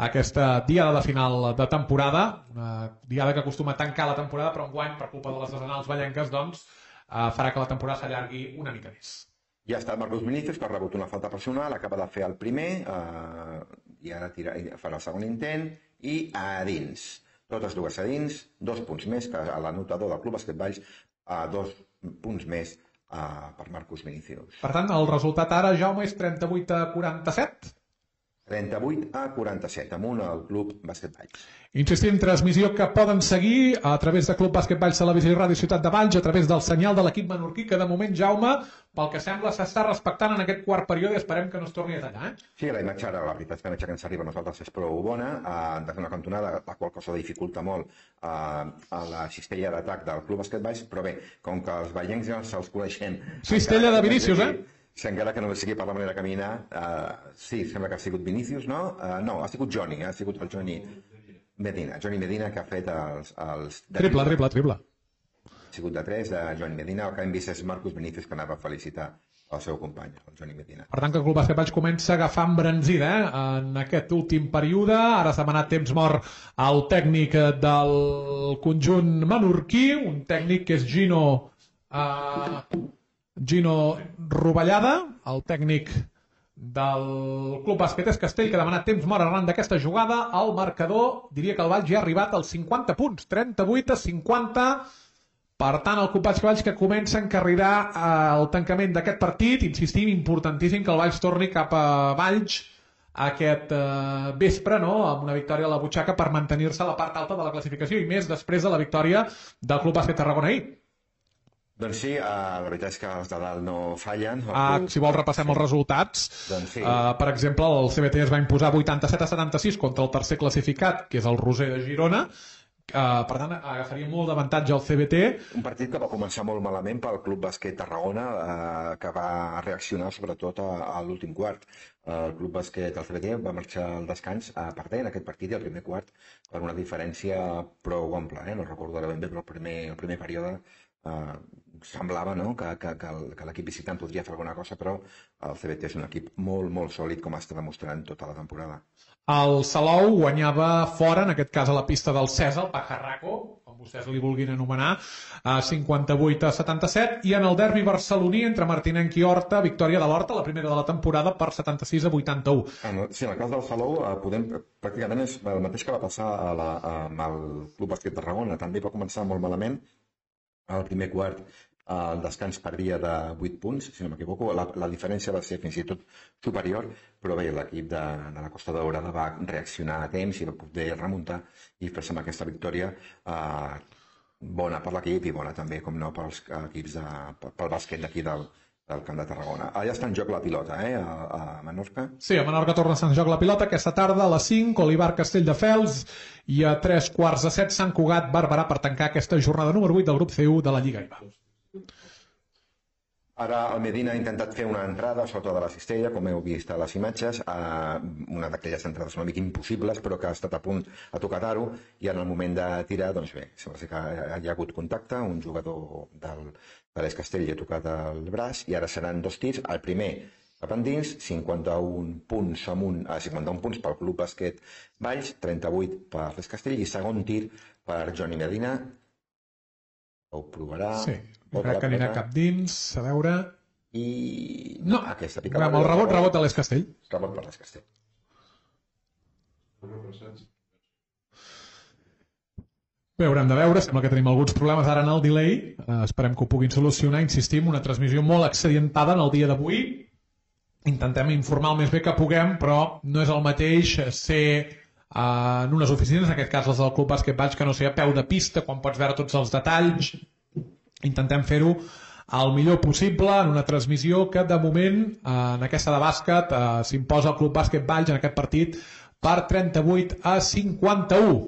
aquesta diada de final de temporada, una diada que acostuma a tancar la temporada, però enguany, per culpa de les desenals ballenques, doncs, farà que la temporada s'allargui una mica més. Ja està el Marcus Vinícius, que ha rebut una falta personal, acaba de fer el primer, i ara farà el segon intent, i a dins. Totes dues a dins, 2 punts més que a l'anotador del Club Bàsquet Valls, 2 punts més per Marcus Vinícius. Per tant, el resultat ara, Jaume, és 38-47? 38-47, amunt al Club Bàsquet Valls. Insistim, transmissió que poden seguir a través de Club Bàsquet Valls Televisió i Ràdio Ciutat de Valls, a través del senyal de l'equip menorquí, que de moment, Jaume, pel que sembla, s'està respectant en aquest quart període, i esperem que no es torni a tallar. Sí, la imatge ara, la veritat és que la imatge que ens arriba a nosaltres és prou bona, des d'una cantonada, la qual cosa dificulta molt a la cistella d'atac del Club Bàsquet Valls, però bé, com que els ballencs ja se'ls coneixem... Cistella de Vinícius, Si encara que no sigui per la manera de caminar, sí, sembla que ha sigut Vinícius, no? No, ha sigut Johnny, ha sigut el Johnny Medina, que ha fet els... Triple. Ha sigut de 3 de Johnny Medina, el que hem vist és Marcus Vinícius, que anava a felicitar el seu company, el Johnny Medina. Per tant, que el Club Bàsquet Valls comença a agafar embranzida en aquest últim període. Ara s'ha demanat temps mort al tècnic del conjunt menorquí, un tècnic que és Gino Rovellada, el tècnic del Club Bàsquet Eix Castell, que ha demanat temps mort arran d'aquesta jugada. El marcador, diria que el Valls ja ha arribat als 50 punts, 38-50. Per tant, el Club Bàsquet Valls que comença a encarrilar el tancament d'aquest partit. Insistim, importantíssim que el Valls torni cap a Valls aquest vespre, amb una victòria a la butxaca per mantenir-se a la part alta de la classificació, i més després de la victòria del Club Bàsquet Tarragona ahir. Doncs sí, la veritat és que els de dalt no fallen. Si vols repassem els resultats. Doncs sí. Per exemple, el CBT es va imposar 87-76 contra el tercer classificat, que és el Roser de Girona. Per tant, agafaria molt d'avantatge al CBT. Un partit que va començar molt malament pel Club Bàsquet Tarragona, que va reaccionar sobretot a l'últim quart. El Club Bàsquet, el CBT, va marxar al descans perdent aquest partit i el primer quart per una diferència prou ampla. No recordo ara ben bé, però el primer període semblava que l'equip visitant podria fer alguna cosa, però el CBT és un equip molt, molt sòlid, com està demostrant tota la temporada. El Salou guanyava fora, en aquest cas a la pista del Cèsar, el Pajarraco, com vostès li vulguin anomenar, 58-77, i en el derbi barceloní entre Martinenc i Horta, victòria de l'Horta, la primera de la temporada, per 76-81. Sí, en el cas del Salou, pràcticament és el mateix que va passar amb el Club Bàsquet Tarragona. També va començar molt malament. Al primer quart el descans perdia de 8 punts, si no m'equivoco. La diferència va ser fins i tot superior, però bé, l'equip de la Costa Daurada va reaccionar a temps i va poder remuntar i fer-se amb aquesta victòria bona per l'equip i bona també, com no, pels equips pel bàsquet d'aquí del Camp de Tarragona. Allà està en joc la pilota, a Menorca. Sí, a Menorca torna a estar en joc la pilota aquesta tarda a les 5, Olivar Castelldefels, i a 3:15 Sant Cugat Barberà, per tancar aquesta jornada número 8 del grup C1 de la Lliga IBA. Ara el Medina ha intentat fer una entrada sota de la cistella, com heu vist a les imatges, una d'aquelles entrades una mica impossibles, però que ha estat a punt a tocar d'aro, i en el moment de tirar, doncs bé, sembla que hi ha hagut contacte, un jugador de l'Eix Castell li ha tocat el braç, i ara seran 2 tirs. El primer cap endins, 51 punts amunt, 51 punts pel Club Bàsquet Valls, 38 per l'Es Castell i segon tir per Johnny Medina. Ho provarà. Sí, crec que anirà cap dins, a veure... I... No, aquesta picada... amb el rebot a l'Es Castell. Rebot per l'Es Castell. Bé, haurem de veure, sembla que tenim alguns problemes ara en el delay, esperem que ho puguin solucionar, insistim, una transmissió molt accidentada en el dia d'avui, intentem informar el més bé que puguem, però no és el mateix ser en unes oficines, en aquest cas les del Club Bàsquet Valls, que no sé, a peu de pista, quan pots veure tots els detalls, intentem fer-ho el millor possible en una transmissió que de moment en aquesta de bàsquet s'imposa el Club Bàsquet Valls en aquest partit per 38 a 51.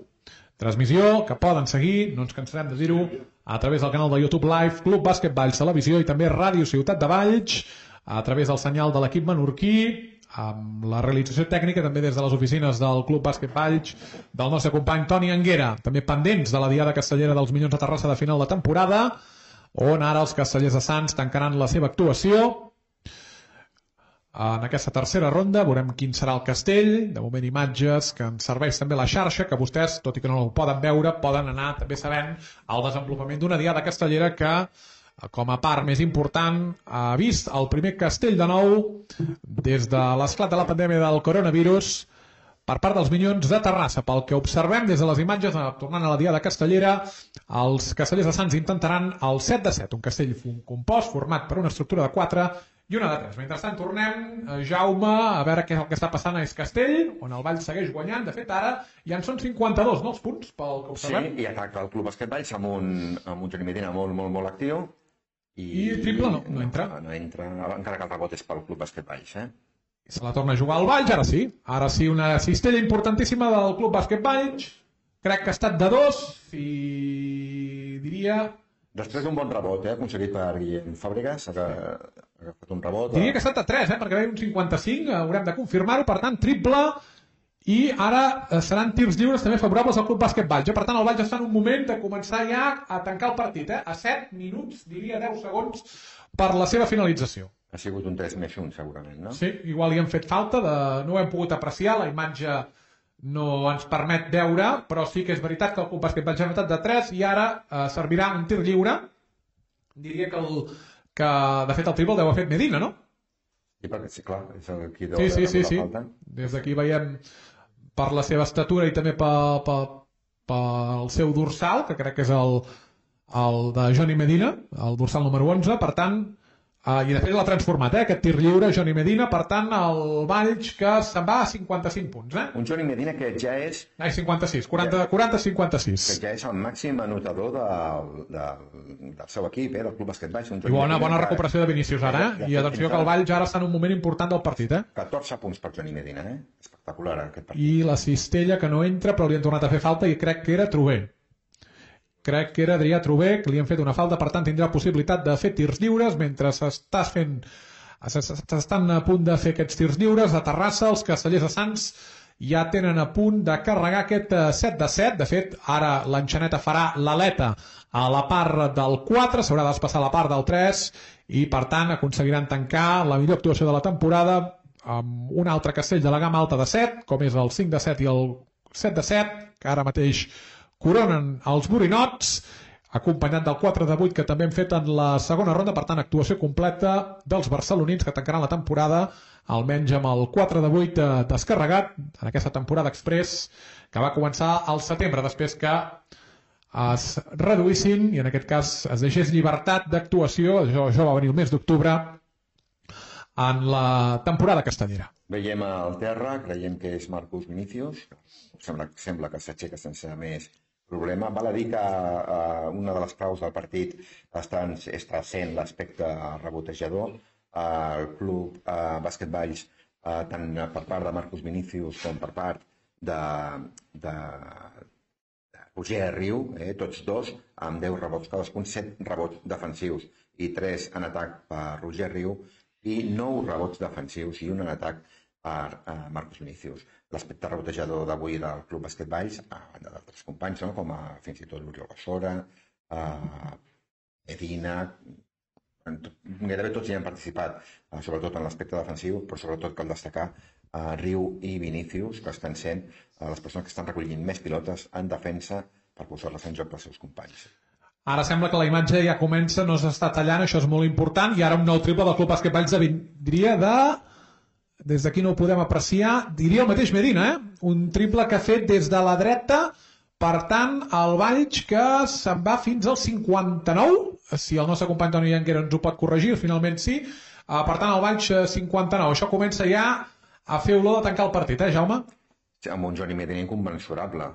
Transmissió que poden seguir, no ens cansarem de dir-ho, a través del canal de YouTube Live, Club Bàsquet Valls Televisió i també Ràdio Ciutat de Valls, a través del senyal de l'equip menorquí, amb la realització tècnica també des de les oficines del Club Bàsquet Valls del nostre company Toni Anguera, també pendents de la Diada Castellera dels Minyons de Terrassa de final de temporada, on ara els castellers de Sants tancaran la seva actuació. En aquesta tercera ronda veurem quin serà el castell, de moment imatges que ens serveix també la xarxa, que vostès, tot i que no ho poden veure, poden anar també sabent el desenvolupament d'una Diada Castellera que, com a part més important, ha vist el primer castell de nou des de l'esclat de la pandèmia del coronavirus per part dels Minyons de Terrassa. Pel que observem des de les imatges, tornant a la Diada Castellera, els castellers de Sants intentaran el 7 de 7, un castell compost format per una estructura de 4 i una de 3. Mentrestant tornem, Jaume, a veure què és el que està passant a Es Castell, on el Valls segueix guanyant. De fet, ara ja en són 52, no, els punts, pel que observem. Sí, i ataca el Club Bàsquet Valls amb un Johnny Medina molt actiu. I triple no entra. No entra, encara que el rebot és pel Club Bàsquet Valls, Se la torna a jugar al Valls, ara sí. Ara sí, una cistella importantíssima del Club Bàsquet Valls. Crec que ha estat de 2 i diria... Després d'un bon rebot, aconseguit per Guillem Fàbregas, ha agafat un rebot... Diria que ha estat de 3, perquè veia un 55, haurem de confirmar-ho, per tant, triple, i ara seran tirs lliures també favorables al Club Bàsquet Valls. Per tant, el Valls està en un moment de començar ja a tancar el partit, a 7 minuts, diria 10 segons, per la seva finalització. Ha sigut un 3+1, segurament, no? Sí, igual hi han fet falta, no ho hem pogut apreciar, la imatge no ens permet veure, però sí que és veritat que el Club Bàsquet Valls ha anotat de 3 i ara servirà un tir lliure. Diria que de fet el triple el deu haver fet Medina, no? Sí, perquè sí, clar, és el qui deu haver sí. falta. Des d'aquí veiem per la seva estatura i també pel seu dorsal, que crec que és el de Johnny Medina, el dorsal número 11, per tant, i de fet l'ha transformat, aquest tir lliure, Johnny Medina, per tant, el Valls que se'n va a 55 punts. Un Johnny Medina que ja és... 56, 40-56. Que ja és el màxim anotador del seu equip, del Club Bàsquet Valls. I bona recuperació de Vinícius ara, i atenció que el Valls ara està en un moment important del partit. 14 punts per Johnny Medina, espectacular aquest partit. I la cistella que no entra, però li han tornat a fer falta i crec que era Trober. Crec que era Adrià Trober, que li han fet una falta, per tant tindrà possibilitat de fer tirs lliures mentre s'estan a punt de fer aquests tirs lliures. A Terrassa, els castellers de Sants ja tenen a punt de carregar aquest 7 de 7. De fet, ara l'enxaneta farà l'aleta a la part del 4, s'haurà de despassar la part del 3 i, per tant, aconseguiran tancar la millor actuació de la temporada amb un altre castell de la gamma alta de 7, com és el 5 de 7 i el 7 de 7, que ara mateix coronen els borinots, acompanyat del 4 de 8 que també hem fet en la segona ronda. Per tant, actuació completa dels barcelonins que tancaran la temporada, almenys amb el 4 de 8 descarregat en aquesta temporada express que va començar al setembre, després que es reduïssin i en aquest cas es deixés llibertat d'actuació. Això va venir el mes d'octubre en la temporada castellera. Veiem al terra, creiem que és Marcus Vinícius, sembla que s'aixeca sense més problema. Val a dir que una de les claus del partit està sent l'aspecte rebotejador. El Club Bàsquet Valls, tant per part de Marcus Vinícius com per part de Roger Riu, tots dos, amb 10 rebots cadascun, 7 rebots defensius i 3 en atac per Roger Riu i 9 rebots defensius i un en atac per Marcus Vinícius. L'aspecte rebotejador d'avui del Club Bàsquet Valls, a banda d'altres companys, com fins i tot l'Oriol Bassora, Medina, Gairebé tots hi han participat, sobretot en l'aspecte defensiu, però sobretot cal destacar Riu i Vinícius, que estan sent les persones que estan recollint més pilotes en defensa per posar-les en joc pels seus companys. Ara sembla que la imatge ja comença, no s'està tallant, això és molt important, i ara un nou triple del Club Bàsquet Valls diria de... Des d'aquí no ho podem apreciar, diria el mateix Medina, un triple que ha fet des de la dreta, per tant, el Valls que se'n va fins al 59, si el nostre company Toni Llanquera ens ho pot corregir, finalment sí, per tant el Valls 59, això comença ja a fer olor de tancar el partit, Jaume? Sí, amb un Johnny Medina inconmensurable.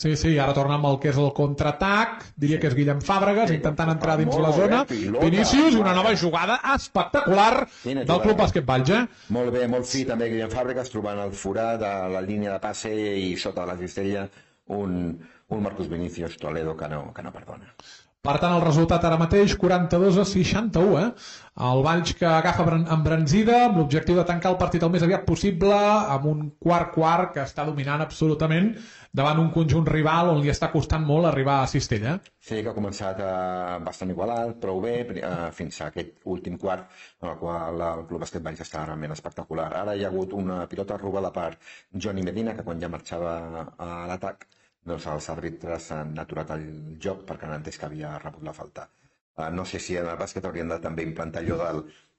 Sí, ara torna amb el que és el contraatac, diria que és Guillem Fàbregas, intentant entrar dins la zona. Vinícius, una nova jugada espectacular del Club Bàsquet Valls. Molt bé, molt fi també Guillem Fàbregas, trobant el forat de la línia de passe i sota de la cistella un Marcus Vinícius Toledo que no perdona. Per tant, el resultat ara mateix, 42-61, El Valls que agafa embranzida amb l'objectiu de tancar el partit el més aviat possible, amb un quart que està dominant absolutament davant un conjunt rival on li està costant molt arribar a Cistella. Sí, que ha començat bastant igualat, prou bé, fins a aquest últim quart, en el qual el Club Bàsquet Valls està realment espectacular. Ara hi ha hagut una pilota robada per Johnny Medina, que quan ja marxava a l'atac, doncs els àrbitres han aturat el joc perquè han entès que havia rebut la falta. No sé si en el bàsquet haurien de també implantar allò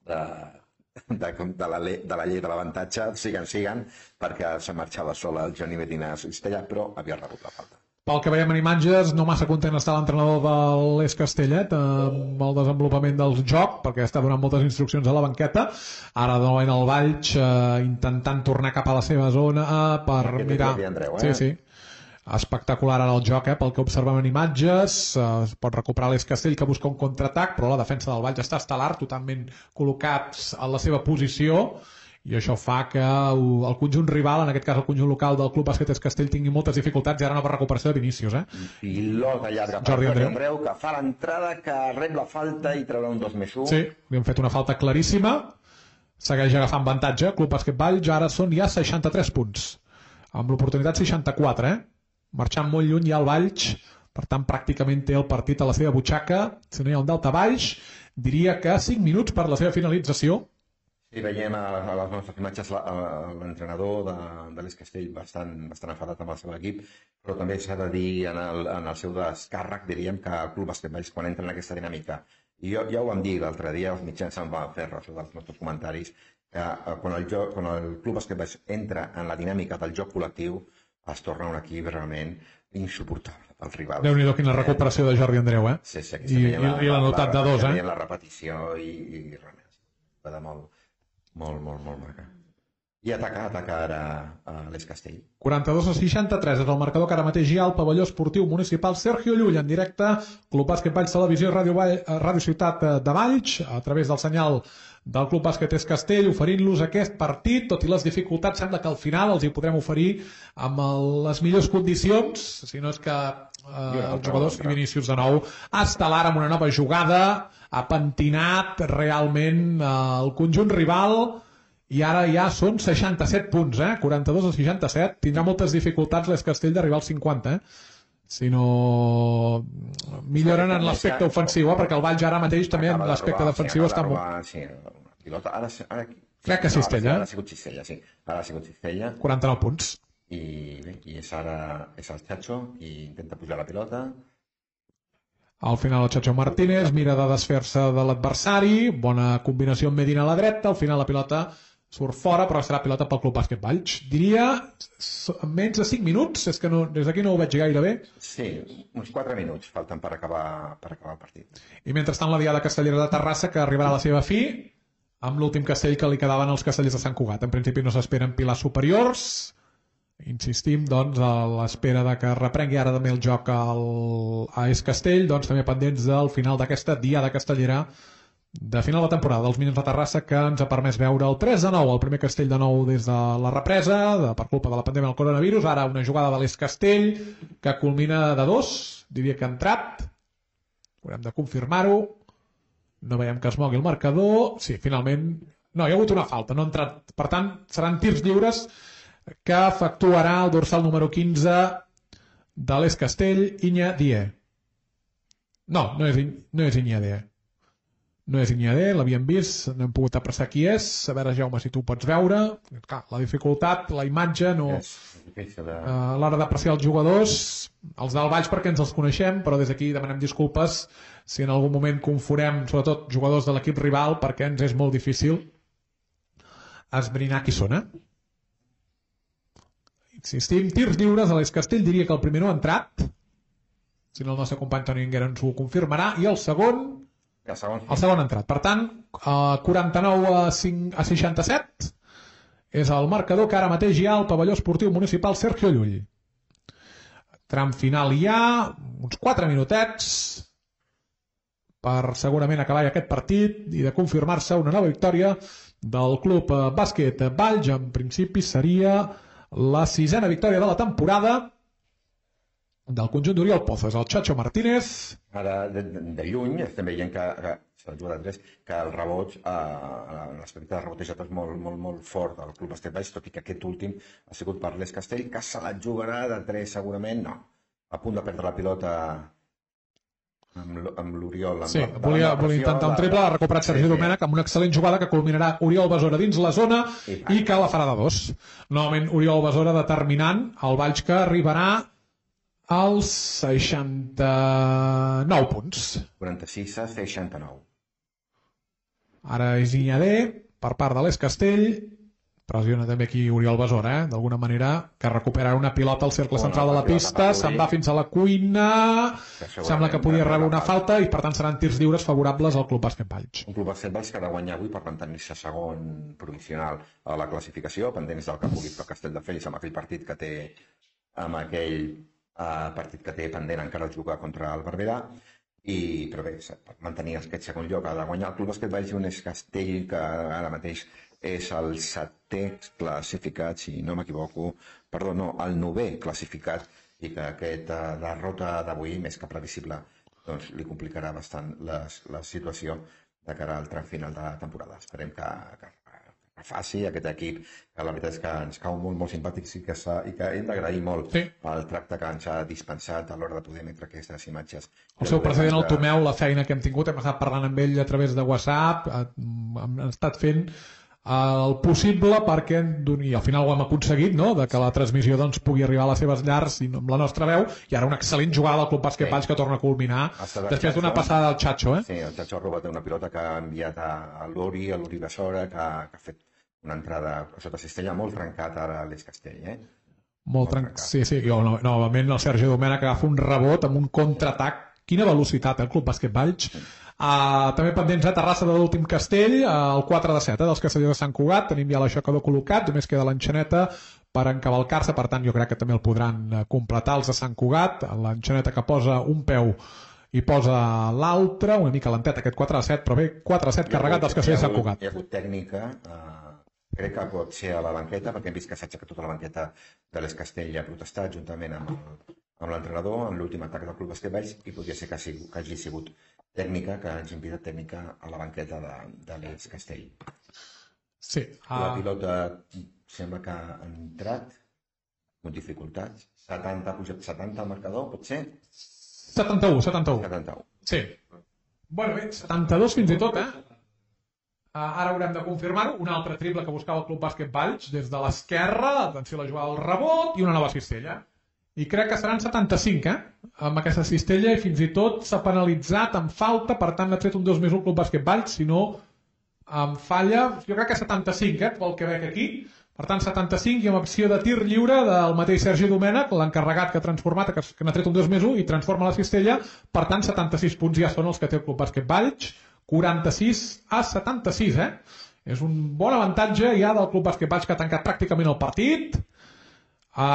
de la llei de l'avantatge, siguen, perquè se marxava sol el Johnny Medina a Cistella, però havia rebut la falta. Pel que veiem en imatges, no massa content està l'entrenador de l'Es Castellet amb el desenvolupament del joc, perquè està donant moltes instruccions a la banqueta. Ara de nou el Valls intentant tornar cap a la seva zona per mirar... Sí. Espectacular ara el joc, pel que observem en imatges. Es pot recuperar l'Es Castell, que busca un contraatac, però la defensa del Valls està estel·lar, totalment col·locats en la seva posició, i això fa que el conjunt rival, en aquest cas el conjunt local del Club Bàsquet Es Castell, tingui moltes dificultats i ara nova recuperació de Vinícius. Pilota llarga per Jordi Andreu, que fa l'entrada, que rep la falta i traurà un 2+1. Sí, li han fet una falta claríssima. Segueix agafant avantatge. Club Bàsquet Valls ara són ja 63 punts. Amb l'oportunitat 64, marxant molt lluny ja el Valls, per tant pràcticament té el partit a la seva butxaca. Si no hi ha un daltabaix, diria que 5 minuts per la seva finalització. Sí, veiem a les nostres imatges l'entrenador de l'Es Castell bastant enfadat amb el seu equip, però també s'ha de dir en el seu descàrrec, diríem, que el Club Bàsquet Valls, quan entra en aquesta dinàmica, i ja ho vam dir l'altre dia, els mitjans se'n van fer ressò dels nostres comentaris, que quan el Club Bàsquet Valls entra en la dinàmica del joc col·lectiu, es torna un equip realment insuportable pel rival. Déu-n'hi-do, quina recuperació de Jordi Andreu, Sí, I l'ha notat de dos, la repetició i realment va de molt maca. I ataca ara a l'Es Castell. 42-63 és el marcador que ara mateix hi ha al pavelló esportiu municipal Sergio Llull en directe, Club Bàsquet Valls Televisió i Ràdio Ciutat de Valls, a través del senyal del Club Bàsquet Es Castell, oferint-los aquest partit, tot i les dificultats, sembla que al final els hi podrem oferir amb les millors condicions, si no és que els jugadors i Vinícius de nou estel·lar amb una nova jugada, ha pentinat realment el conjunt rival, i ara ja són 67 punts, 42-67, tindrà moltes dificultats l'Es Castell d'arribar als 50, si no milloren en l'aspecte ofensiu, perquè el Valls ara mateix també en l'aspecte defensiu està molt... Sí, pilota, crec que Cistella. Ara ha sigut Cistella, sí. Ara ha sigut Cistella. 49 punts. I bé, és el Chacho qui intenta pujar la pilota. Al final el Chacho Martínez mira de desfer-se de l'adversari, bona combinació amb Medina a la dreta, al final la pilota surt fora, però serà pilota pel Club Bàsquet Valls. Diria menys de 5 minuts, és que des d'aquí no ho veig gaire bé. Sí, uns 4 minuts falten per acabar el partit. I mentrestant la diada castellera de Terrassa, que arribarà a la seva fi, amb l'últim castell que li quedaven als castellers de Sant Cugat. En principi no s'esperen pilars superiors. Insistim, doncs, a l'espera de que reprengui ara també el joc a Es Castell, doncs també pendents del final d'aquesta diada castellera de final de temporada dels Minions de Terrassa, que ens ha permès veure el 3-9, el primer castell de nou des de la represa, per culpa de la pandèmia del coronavirus. Ara una jugada de l'Es Castell que culmina de 2, diria que ha entrat, haurem de confirmar-ho, no veiem que es mogui el marcador. Sí, finalment, no, hi ha hagut una falta, no ha entrat, per tant seran tirs lliures que efectuarà el dorsal número 15 de l'Es Castell, Iña Die. No és Iña Die. No és Iñadé, l'havíem vist, no hem pogut apreciar qui és. A veure, Jaume, si tu pots veure. Clar, la dificultat, la imatge, no... A l'hora d'apreciar els jugadors, els del Valls perquè ens els coneixem, però des d'aquí demanem disculpes si en algun moment confonem, sobretot, jugadors de l'equip rival, perquè ens és molt difícil esbrinar qui són, Insistim, tirs lliures, a l'Es Castell diria que el primer no ha entrat, si no el nostre company Toni Anguera ens ho confirmarà, i el segon ha entrat. Per tant, 49 a 67 és el marcador que ara mateix hi ha al pavelló esportiu municipal Sergio Llull. Tram final hi ha, uns 4 minutets per segurament acabar aquest partit i de confirmar-se una nova victòria del Club Bàsquet Valls. En principi seria la 6ª victòria de la temporada del conjunt d'Oriol Pozas. El Chacho Martínez. Ara, de lluny, estem veient que s'ha jugat a 3, que el reboig, l'aspecte de rebotejat és molt fort del Club Bàsquet Valls, tot i que aquest últim ha sigut per l'Es Castell, que se la jugarà de 3 segurament, no. A punt de perdre la pilota amb l'Oriol. Sí, volia intentar un triple, l'ha recuperat Sergi Domènech amb una excel·lent jugada que culminarà Oriol Besora dins la zona i que la farà de 2. Novament Oriol Besora determinant el Valls, que arribarà als 69 punts. 46 a 69. Ara és Iñadé per part de l'Es Castell. Pressiona també aquí Oriol Besora, d'alguna manera, que recupera una pilota al cercle central de la pista, se'n va fins a la cuina, sembla que podia rebre una falta i per tant seran tirs lliures favorables al Club Bàsquet Valls. Un Club Bàsquet Valls que ha de guanyar avui per mantenir-se segon provisional a la classificació, pendents del que pugui fer Castelldefels amb aquell partit que té pendent encara jugar contra el Barberà. Però bé, per mantenir aquest segon lloc ha de guanyar el Club Bàsquet Valls i un Es Castell que ara mateix és el 7è classificat, si no m'equivoco, perdó, no, el 9è classificat, i que aquesta derrota d'avui, més que previsible, doncs li complicarà bastant la situació de cara al tram final de la temporada. Esperem que faci aquest equip, que la veritat és que ens cau molt simpàtics i que hem d'agrair molt el tracte que ens ha dispensat a l'hora de poder emetre aquestes imatges. El seu president, el Tomeu, la feina que hem tingut, hem estat parlant amb ell a través de WhatsApp, hem estat fent el possible perquè, i al final ho hem aconseguit, no?, de que la transmissió doncs, pugui arribar a les seves llars i amb la nostra veu, i ara una excel·lent jugada del Club Bàsquet Valls que torna a culminar després d'una passada del Chacho. Sí, el Chacho ha robat una pilota que ha enviat a l'Uri Besora, que ha fet una entrada sota cistella molt trencat ara a l'Es Castell. Molt trencat. Sí, novament el Sergi Domènech agafa un rebot amb un contraatac. Quina velocitat, el Club Bàsquet Valls. També pendents a Terrassa de l'últim castell, el 4-7 dels castellers de Sant Cugat. Tenim ja l'aixecador col·locat, només queda l'enxaneta per encavalcar-se, per tant jo crec que també el podran completar els de Sant Cugat. L'enxaneta que posa un peu i posa l'altre, una mica lentet aquest 4-7, però bé, 4-7 carregat dels castellers de Sant Cugat. Hi ha hagut tècnica, crec que pot ser a la banqueta, perquè hem vist que s'ha aixecat tota la banqueta de l'Es Castell i ha protestat juntament amb l'entrenador en l'últim atac del Club Bàsquet Valls, i podria ser que hagi sigut tècnica, que hagi impedit tècnica a la banqueta de l'Es Castell. Sí. La pilota sembla que ha entrat amb dificultats. 70 al marcador, pot ser? 71. Sí. Bueno, bé, 72 fins i tot, ara haurem de confirmar-ho. Un altre triple que buscava el Club Bàsquet Valls des de l'esquerra, atenció a la jugada del rebot i una nova cistella. I crec que seran 75, amb aquesta cistella, i fins i tot s'ha penalitzat amb falta, per tant ha tret un 2 més un Club Bàsquet Valls, si no em falla, jo crec que 75, pel que veig aquí. Per tant, 75 i amb opció de tir lliure del mateix Sergi Domènech, l'encarregat que ha transformat, que n'ha tret un 2 més 1 i transforma la cistella. Per tant, 76 punts ja són els que té el Club Bàsquet Valls, 46 a 76, És un bon avantatge ja del Club Bàsquet Valls, que ha tancat pràcticament el partit.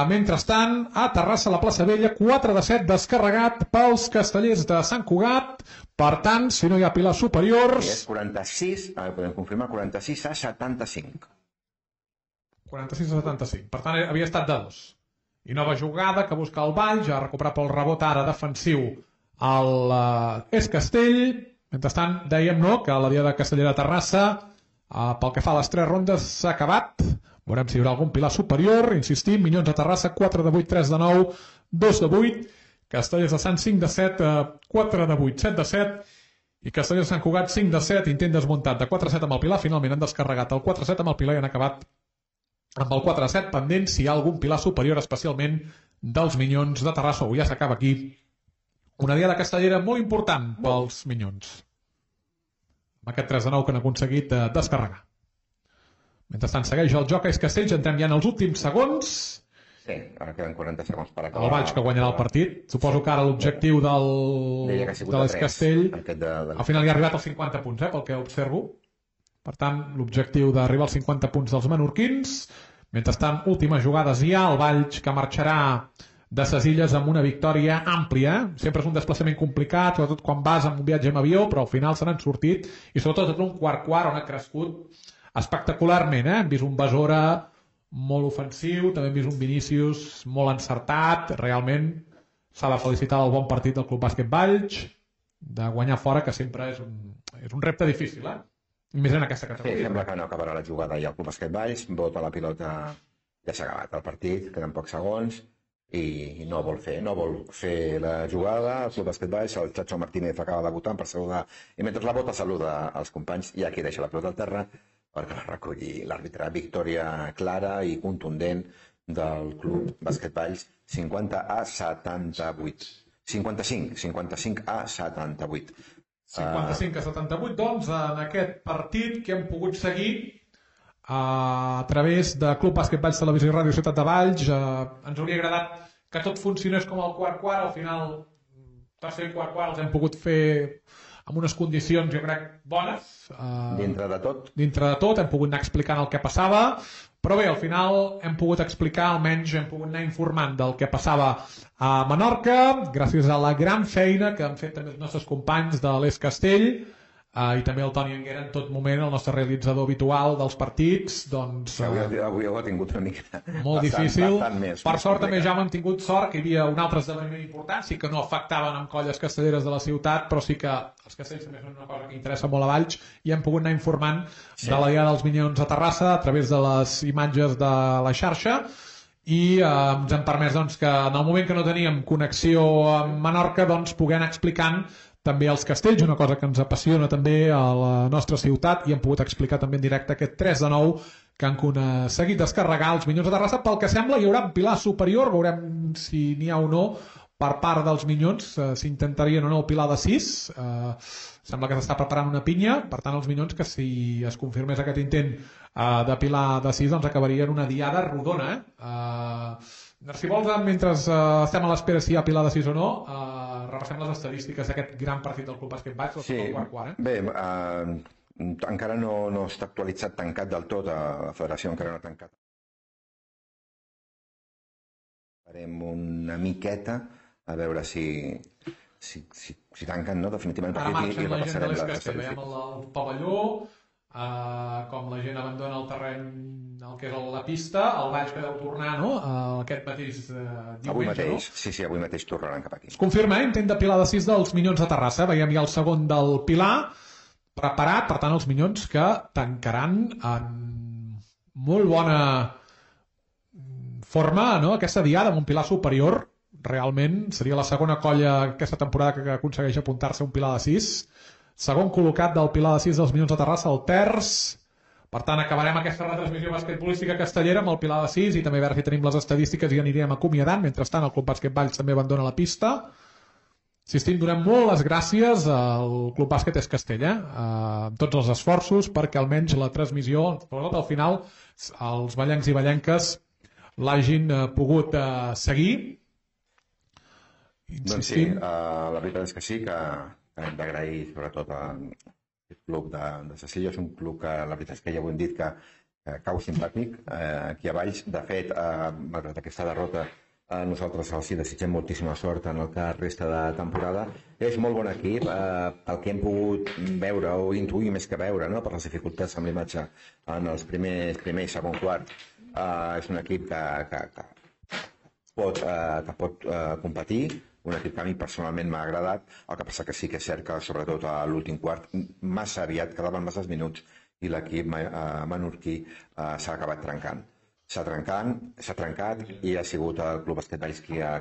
Mentrestant, a Terrassa, la plaça Vella, 4-7 descarregat pels castellers de Sant Cugat. Per tant, si no hi ha pilars superiors... És 46, podem confirmar, 46 a 75. 46 a 75. Per tant, havia estat de 2. I nova jugada que busca el Valls, ja ha recuperat pel rebot ara defensiu l'Es Castell. Mentrestant, dèiem que la diada castellera Terrassa, pel que fa a les 3 rondes, s'ha acabat. Veurem si hi haurà algun pilar superior. Insistim, Minyons de Terrassa, 4 de 8, 3 de 9, 2 de 8. Castellers de Sant, 5 de 7, 4 de 8, 7 de 7. I Castelló de Sant Cugat 5 de 7, intent desmuntat de 4-7 amb el Pilar, finalment han descarregat el 4-7 amb el Pilar i han acabat amb el 4-7 pendent si hi ha algun Pilar superior, especialment dels Minyons de Terrassa. Avui ja s'acaba aquí una diada castellera molt important pels Minyons, amb aquest 3-9 que han aconseguit descarregar. Mentrestant segueix el joc a Castells, entrem ja en els últims segons. Sí, ara queden 40 segons per acabar. El Valls que guanyarà el partit. Suposo que ara l'objectiu de l'Escastell al final hi ha arribat als 50 punts, pel que observo. Per tant, l'objectiu d'arribar als 50 punts dels menorquins. Mentrestant, últimes jugades ja, el Valls que marxarà de ses Illes amb una victòria àmplia. Sempre és un desplaçament complicat, sobretot quan vas amb un viatge amb avió, però al final se n'han sortit, i sobretot en un quart on ha crescut espectacularment. Hem vist un Besora molt ofensiu, també hem vist un Vinícius molt encertat. Realment s'ha de felicitar el bon partit del Club Bàsquet Valls, de guanyar fora, que sempre és un repte difícil, i més en aquesta categoria. Sí, sembla que no acabarà la jugada i el Club Bàsquet Valls bota la pilota, ja s'ha acabat el partit, queden pocs segons i no vol fer la jugada. El Club Bàsquet Valls, el Chacho Martínez acaba debutant per saludar, i mentre la bota saluda als companys, i aquí deixa la pilota al terra perquè la recolli l'àrbitre. Victòria clara i contundent del Club Bàsquet Valls, 50-78. 55-75-78. 55-78, doncs, en aquest partit que hem pogut seguir a través de Club Bàsquet Valls Televisió i Ràdio Ciutat de Valls. Ens hauria agradat que tot funcionés com el quart-quart. Al final, tercer i quart-quart els hem pogut fer amb unes condicions, jo crec, bones. Dintre de tot, hem pogut anar explicant el que passava, però bé, al final hem pogut explicar, almenys hem pogut anar informant del que passava a Menorca, gràcies a la gran feina que han fet també els nostres companys de l'Es Castell, i també el Toni Anguera en tot moment, el nostre realitzador habitual dels partits. Doncs, avui ho ha tingut una mica molt difícil. Per sort també ja hem tingut sort que hi havia un altre esdeveniment important, sí que no afectaven amb colles castelleres de la ciutat, però sí que els castells també són una cosa que interessa molt a Valls, i hem pogut anar informant de la diada dels Minyons a Terrassa a través de les imatges de la xarxa, i ens han permès que en el moment que no teníem connexió amb Menorca poder anar explicant també els castells, una cosa que ens apassiona també a la nostra ciutat, i hem pogut explicar també en directe aquest 3-9 que han aconseguit descarregar els Minyons de Terrassa. Pel que sembla hi haurà un pilar superior, veurem si n'hi ha o no per part dels Minyons, s'intentarien o no el pilar de 6. Sembla que s'està preparant una pinya, per tant els Minyons, que si es confirmés aquest intent de pilar de 6, doncs acabarien una diada rodona. Si vols, mentre estem a l'espera si hi ha pilar de 6 o no, repassem les estadístiques d'aquest gran partit del Club Bàsquet Valls, el quart-quart. Bé, encara no està actualitzat tancat del tot, la federació encara no ha tancat. Farem una miqueta a veure si tanquen definitivament el partit i repassarem les estadístiques. Veiem el pavelló, com la gent abandona el terreny, el que és la pista, el Valls que deu tornar aquest mateix diumenge. Avui mateix, sí, avui mateix tornaran cap aquí. Es confirma, intent de pilar de 6 dels Minyons de Terrassa. Veiem ja el segon del pilar preparat, per tant els Minyons que tancaran en molt bona forma aquesta diada amb un pilar superior. Realment seria la segona colla aquesta temporada que aconsegueix apuntar-se un pilar de 6. Segon col·locat del pilar de 6 dels Minyons de Terrassa, el terç. Per tant, acabarem aquesta retransmissió basquetbolística castellera amb el pilar de 6, i també a veure si tenim les estadístiques i anirem acomiadant. Mentrestant, el Club Bàsquet Valls també abandona la pista. Insistim, donem molt les gràcies al Club Bàsquet Es Castell, amb tots els esforços perquè almenys la transmissió, sobretot al final, els vallencs i vallenques l'hagin pogut seguir. Doncs sí, la veritat és que sí, que hem d'agrair sobretot al club de ses Illes, un club que la veritat és que ja ho hem dit que cau simpàtic aquí a Valls. De fet, malgrat aquesta derrota, nosaltres els desitgem moltíssima sort en el que resta de temporada. És molt bon equip, el que hem pogut veure o intuir més que veure, per les dificultats amb l'imatge en els primer i segon quart. És un equip que pot competir, un equip que a mi personalment m'ha agradat. El que passa que sí que és cert que sobretot a l'últim quart massa aviat quedaven masses minuts i l'equip menorquí s'ha acabat trencant. S'ha trencat i ha sigut el Club Bàsquet Valls qui ha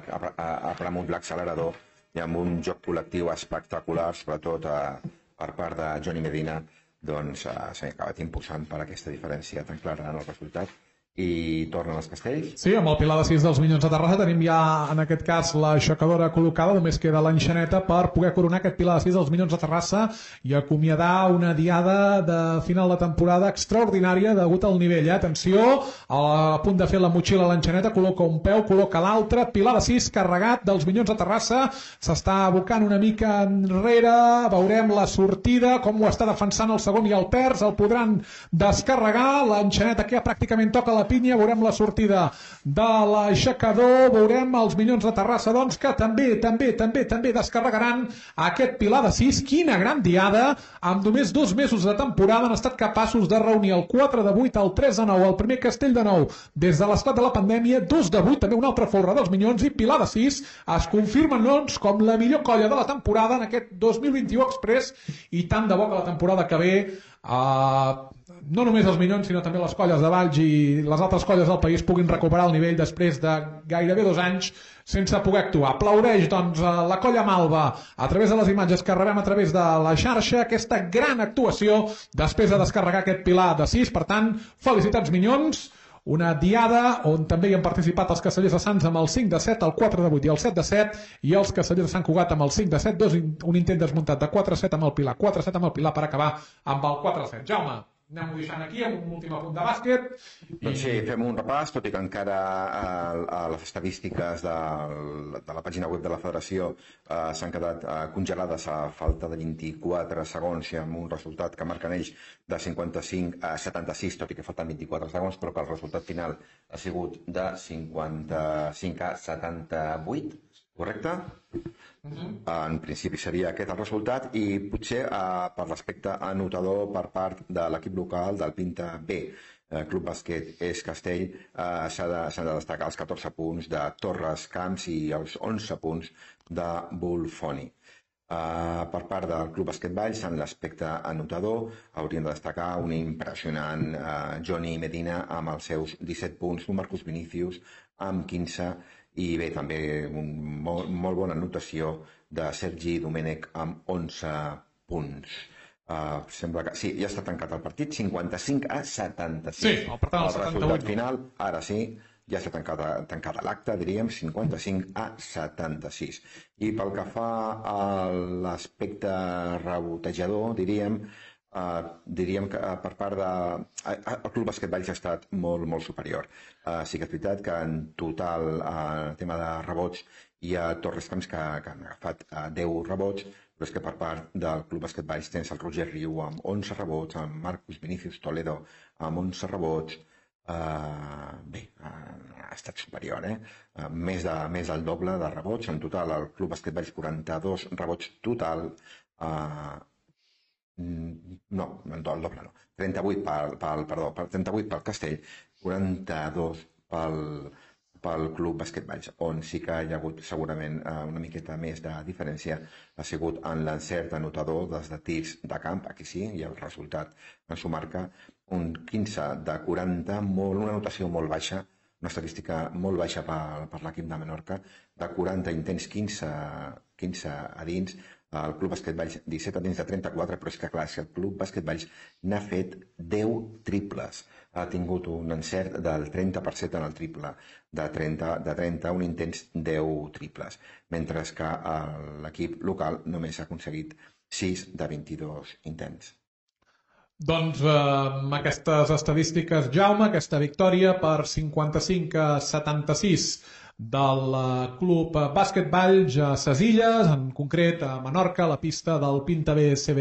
premut l'accelerador, i amb un joc col·lectiu espectacular, sobretot per part de Johnny Medina, doncs s'ha acabat impulsant per aquesta diferència tan clara en el resultat. I tornen els castells. Sí, amb el pilar de 6 dels Minyons de Terrassa tenim ja, en aquest cas, l'aixecadora col·locada, només queda l'enxaneta per poder coronar aquest pilar de 6 dels Minyons de Terrassa i acomiadar una diada de final de temporada extraordinària degut al nivell. Atenció, a punt de fer la motxilla a l'enxaneta, col·loca un peu, col·loca l'altre, pilar de 6 carregat dels Minyons de Terrassa, s'està abocant una mica enrere, veurem la sortida, com ho està defensant el segon i el terç, el podran descarregar, l'enxaneta que pràcticament toca la pinya, veurem la sortida de l'aixecador, veurem els Minyons de Terrassa, doncs, que també descarregaran aquest pilar de 6. Quina gran diada! Amb només 2 mesos de temporada han estat capaços de reunir el 4 de 8, el 3 de 9, el primer castell de 9 des de l'esclat de la pandèmia, 2 de 8, també una altra folre dels Minyons, i pilar de 6 es confirmen, doncs, com la millor colla de la temporada en aquest 2021 Express, i tant de bo que la temporada que ve no només els Minyons, sinó també les colles de Valls i les altres colles del país puguin recuperar el nivell després de gairebé 2 anys sense poder actuar. Aplaudeix, doncs, la colla Malva a través de les imatges que rebem a través de la xarxa, aquesta gran actuació després de descarregar aquest pilar de 6. Per tant, felicitats Minyons, una diada on també hi han participat els Castellers de Sants amb el 5 de 7, el 4 de 8 i el 7 de 7, i els Castellers de Sant Cugat amb el 5 de 7, un intent desmuntat de 4-7 amb el Pilar, 4-7 amb el Pilar per acabar amb el 4-7. Jaume, anem-ho deixant aquí amb un últim apunt de bàsquet. Doncs sí, fem un repàs, tot i que encara a les estadístiques de la pàgina web de la Federació s'han quedat congelades a falta de 24 segons i amb un resultat que marquen ells de 55 a 76, tot i que falten 24 segons, però que el resultat final ha sigut de 55 a 78, correcte? En principi seria aquest el resultat, i potser per l'aspecte anotador per part de l'equip local del Pinta B, Club Bàsquet És Castell, s'han de destacar els 14 punts de Torres Camps i els 11 punts de Bulfoni. Per part del Club Bàsquet Valls, en l'aspecte anotador, haurien de destacar un impressionant Johnny Medina amb els seus 17 punts, un Marcus Vinicius amb 15, i bé, també una molt bona anotació de Sergi Domènech amb 11 punts. Sembla que sí, ja està tancat el partit, 55 a 76. Sí, per tant, el resultat final, ara sí, ja està tancada l'acte, diríem, 55 a 76. I pel que fa a l'aspecte rebotejador, diríem que per part el Club Bàsquet Valls ha estat molt superior. Sí que és veritat que en total, en el tema de rebots, hi ha Torres Camps que han agafat 10 rebots, però és que per part del Club Bàsquet Valls tens el Roger Riu amb 11 rebots, amb Marcus Vinicius Toledo amb 11 rebots. Bé, ha estat superior, més del doble de rebots. En total, el Club Bàsquet Valls 42 rebots total, no, el doble no, 38 pel Castell, 42 pel Club Bàsquet Valls, on sí que hi ha hagut segurament una miqueta més de diferència ha sigut en l'encert anotador des de tirs de camp. Aquí sí, i el resultat ens ho marca, un 15 de 40, una anotació molt baixa, una estadística molt baixa per l'equip de Menorca, de 40 intents, 15 a dins, el Club Bàsquet Valls 17 a dins de 34, però és que clar, el Club Bàsquet Valls n'ha fet 10 triples, ha tingut un encert del 30% en el triple, de 31 intents, 10 triples, mentre que l'equip local només ha aconseguit 6 de 22 intents. Doncs amb aquestes estadístiques, Jaume, aquesta victòria per 55 a 76 del Club Bàsquet Valls a ses Illes, en concret a Menorca, a la pista del Pinta B CB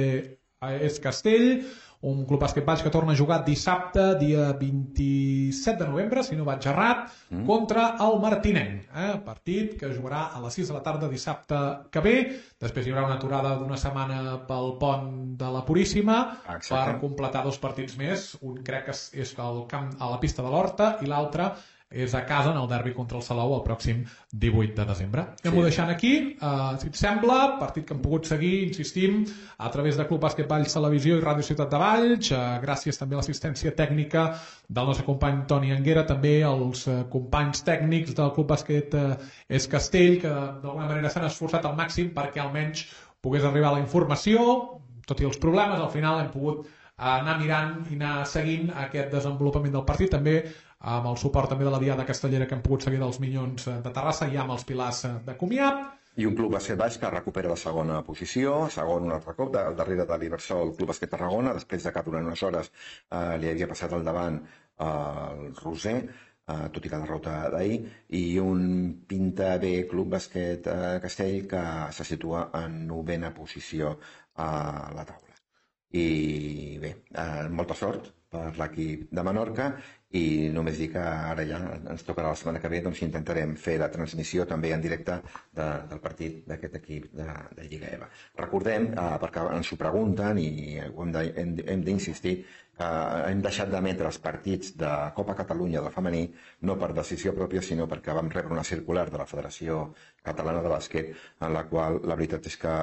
És Castell, un Club Bàsquet Valls que torna a jugar dissabte, dia 27 de novembre, si no vaig errat, contra el Martinenc. Partit que jugarà a les 6 de la tarda dissabte que ve. Després hi haurà una aturada d'una setmana pel pont de la Puríssima. Exacte. Per completar 2 partits més. Un crec que és al camp, a la pista de l'Horta, i l'altre és a casa en el derbi contra el Salou el pròxim 18 de desembre. Anem-ho deixant aquí. Si et sembla, partit que hem pogut seguir, insistim, a través de Club Bàsquet Valls Televisió i Ràdio Ciutat de Valls. Gràcies també a l'assistència tècnica del nostre company Toni Anguera, també als companys tècnics del Club Bàsquet És Castell, que d'alguna manera s'han esforçat al màxim perquè almenys pogués arribar la informació, tot i els problemes, al final hem pogut anar mirant i anar seguint aquest desenvolupament del partit, també amb el suport també de la Diada Castellera que hem pogut seguir dels Minyons de Terrassa i amb els Pilars de Comiat. I un club bàsquet baix que recupera la segona posició, segon un altre cop, darrere de l'Ibersol, el club bàsquet Tarragona, després de que durant unes hores li havia passat al davant el Roser, tot i la derrota d'ahir, i un pinta bé club bàsquet Castell que se situa en 9a posició a la taula. I bé, molta sort per l'equip de Menorca i només dir que ara ja ens tocarà la setmana que ve, doncs intentarem fer la transmissió també en directe del partit d'aquest equip de Lliga EVA. Recordem, perquè ens ho pregunten i hem d'insistir, hem deixat d'emetre els partits de Copa Catalunya del femení no per decisió pròpia, sinó perquè vam rebre una circular de la Federació Catalana de Bàsquet en la qual la veritat és que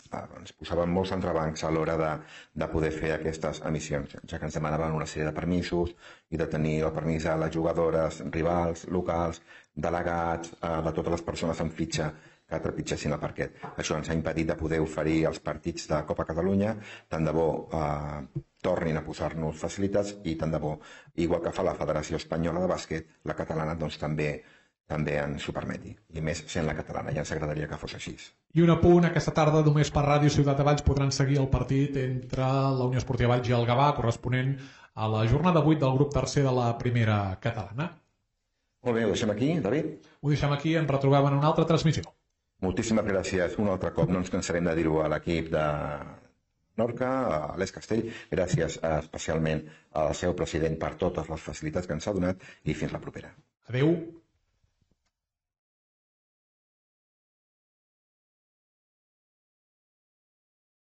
ens posaven molts entrebancs a l'hora de poder fer aquestes emissions, ja que ens demanaven una sèrie de permisos i de tenir el permís a les jugadores, rivals, locals, delegats, de totes les persones amb fitxa que trepitgessin el parquet. Això ens ha impedit de poder oferir els partits de Copa Catalunya, tant de bo tornin a posar-nos facilitats i tant de bo, igual que fa la Federació Espanyola de Bàsquet, la catalana doncs també ens ho permeti. I més sent la catalana, ja ens agradaria que fos així. I un apunt, aquesta tarda només per Ràdio Ciutat de Valls podran seguir el partit entre la Unió Esportiva Valls i el Gavà, corresponent a la jornada 8 del grup tercer de la primera catalana. Molt bé, ho deixem aquí, David? Ho deixem aquí, ens retrobem en una altra transmissió. Moltíssimes gràcies un altre cop, no ens cansarem de dir-ho a l'equip de Menorca, a l'Es Castell, gràcies especialment al seu president per totes les facilitats que ens ha donat i fins la propera. Adéu.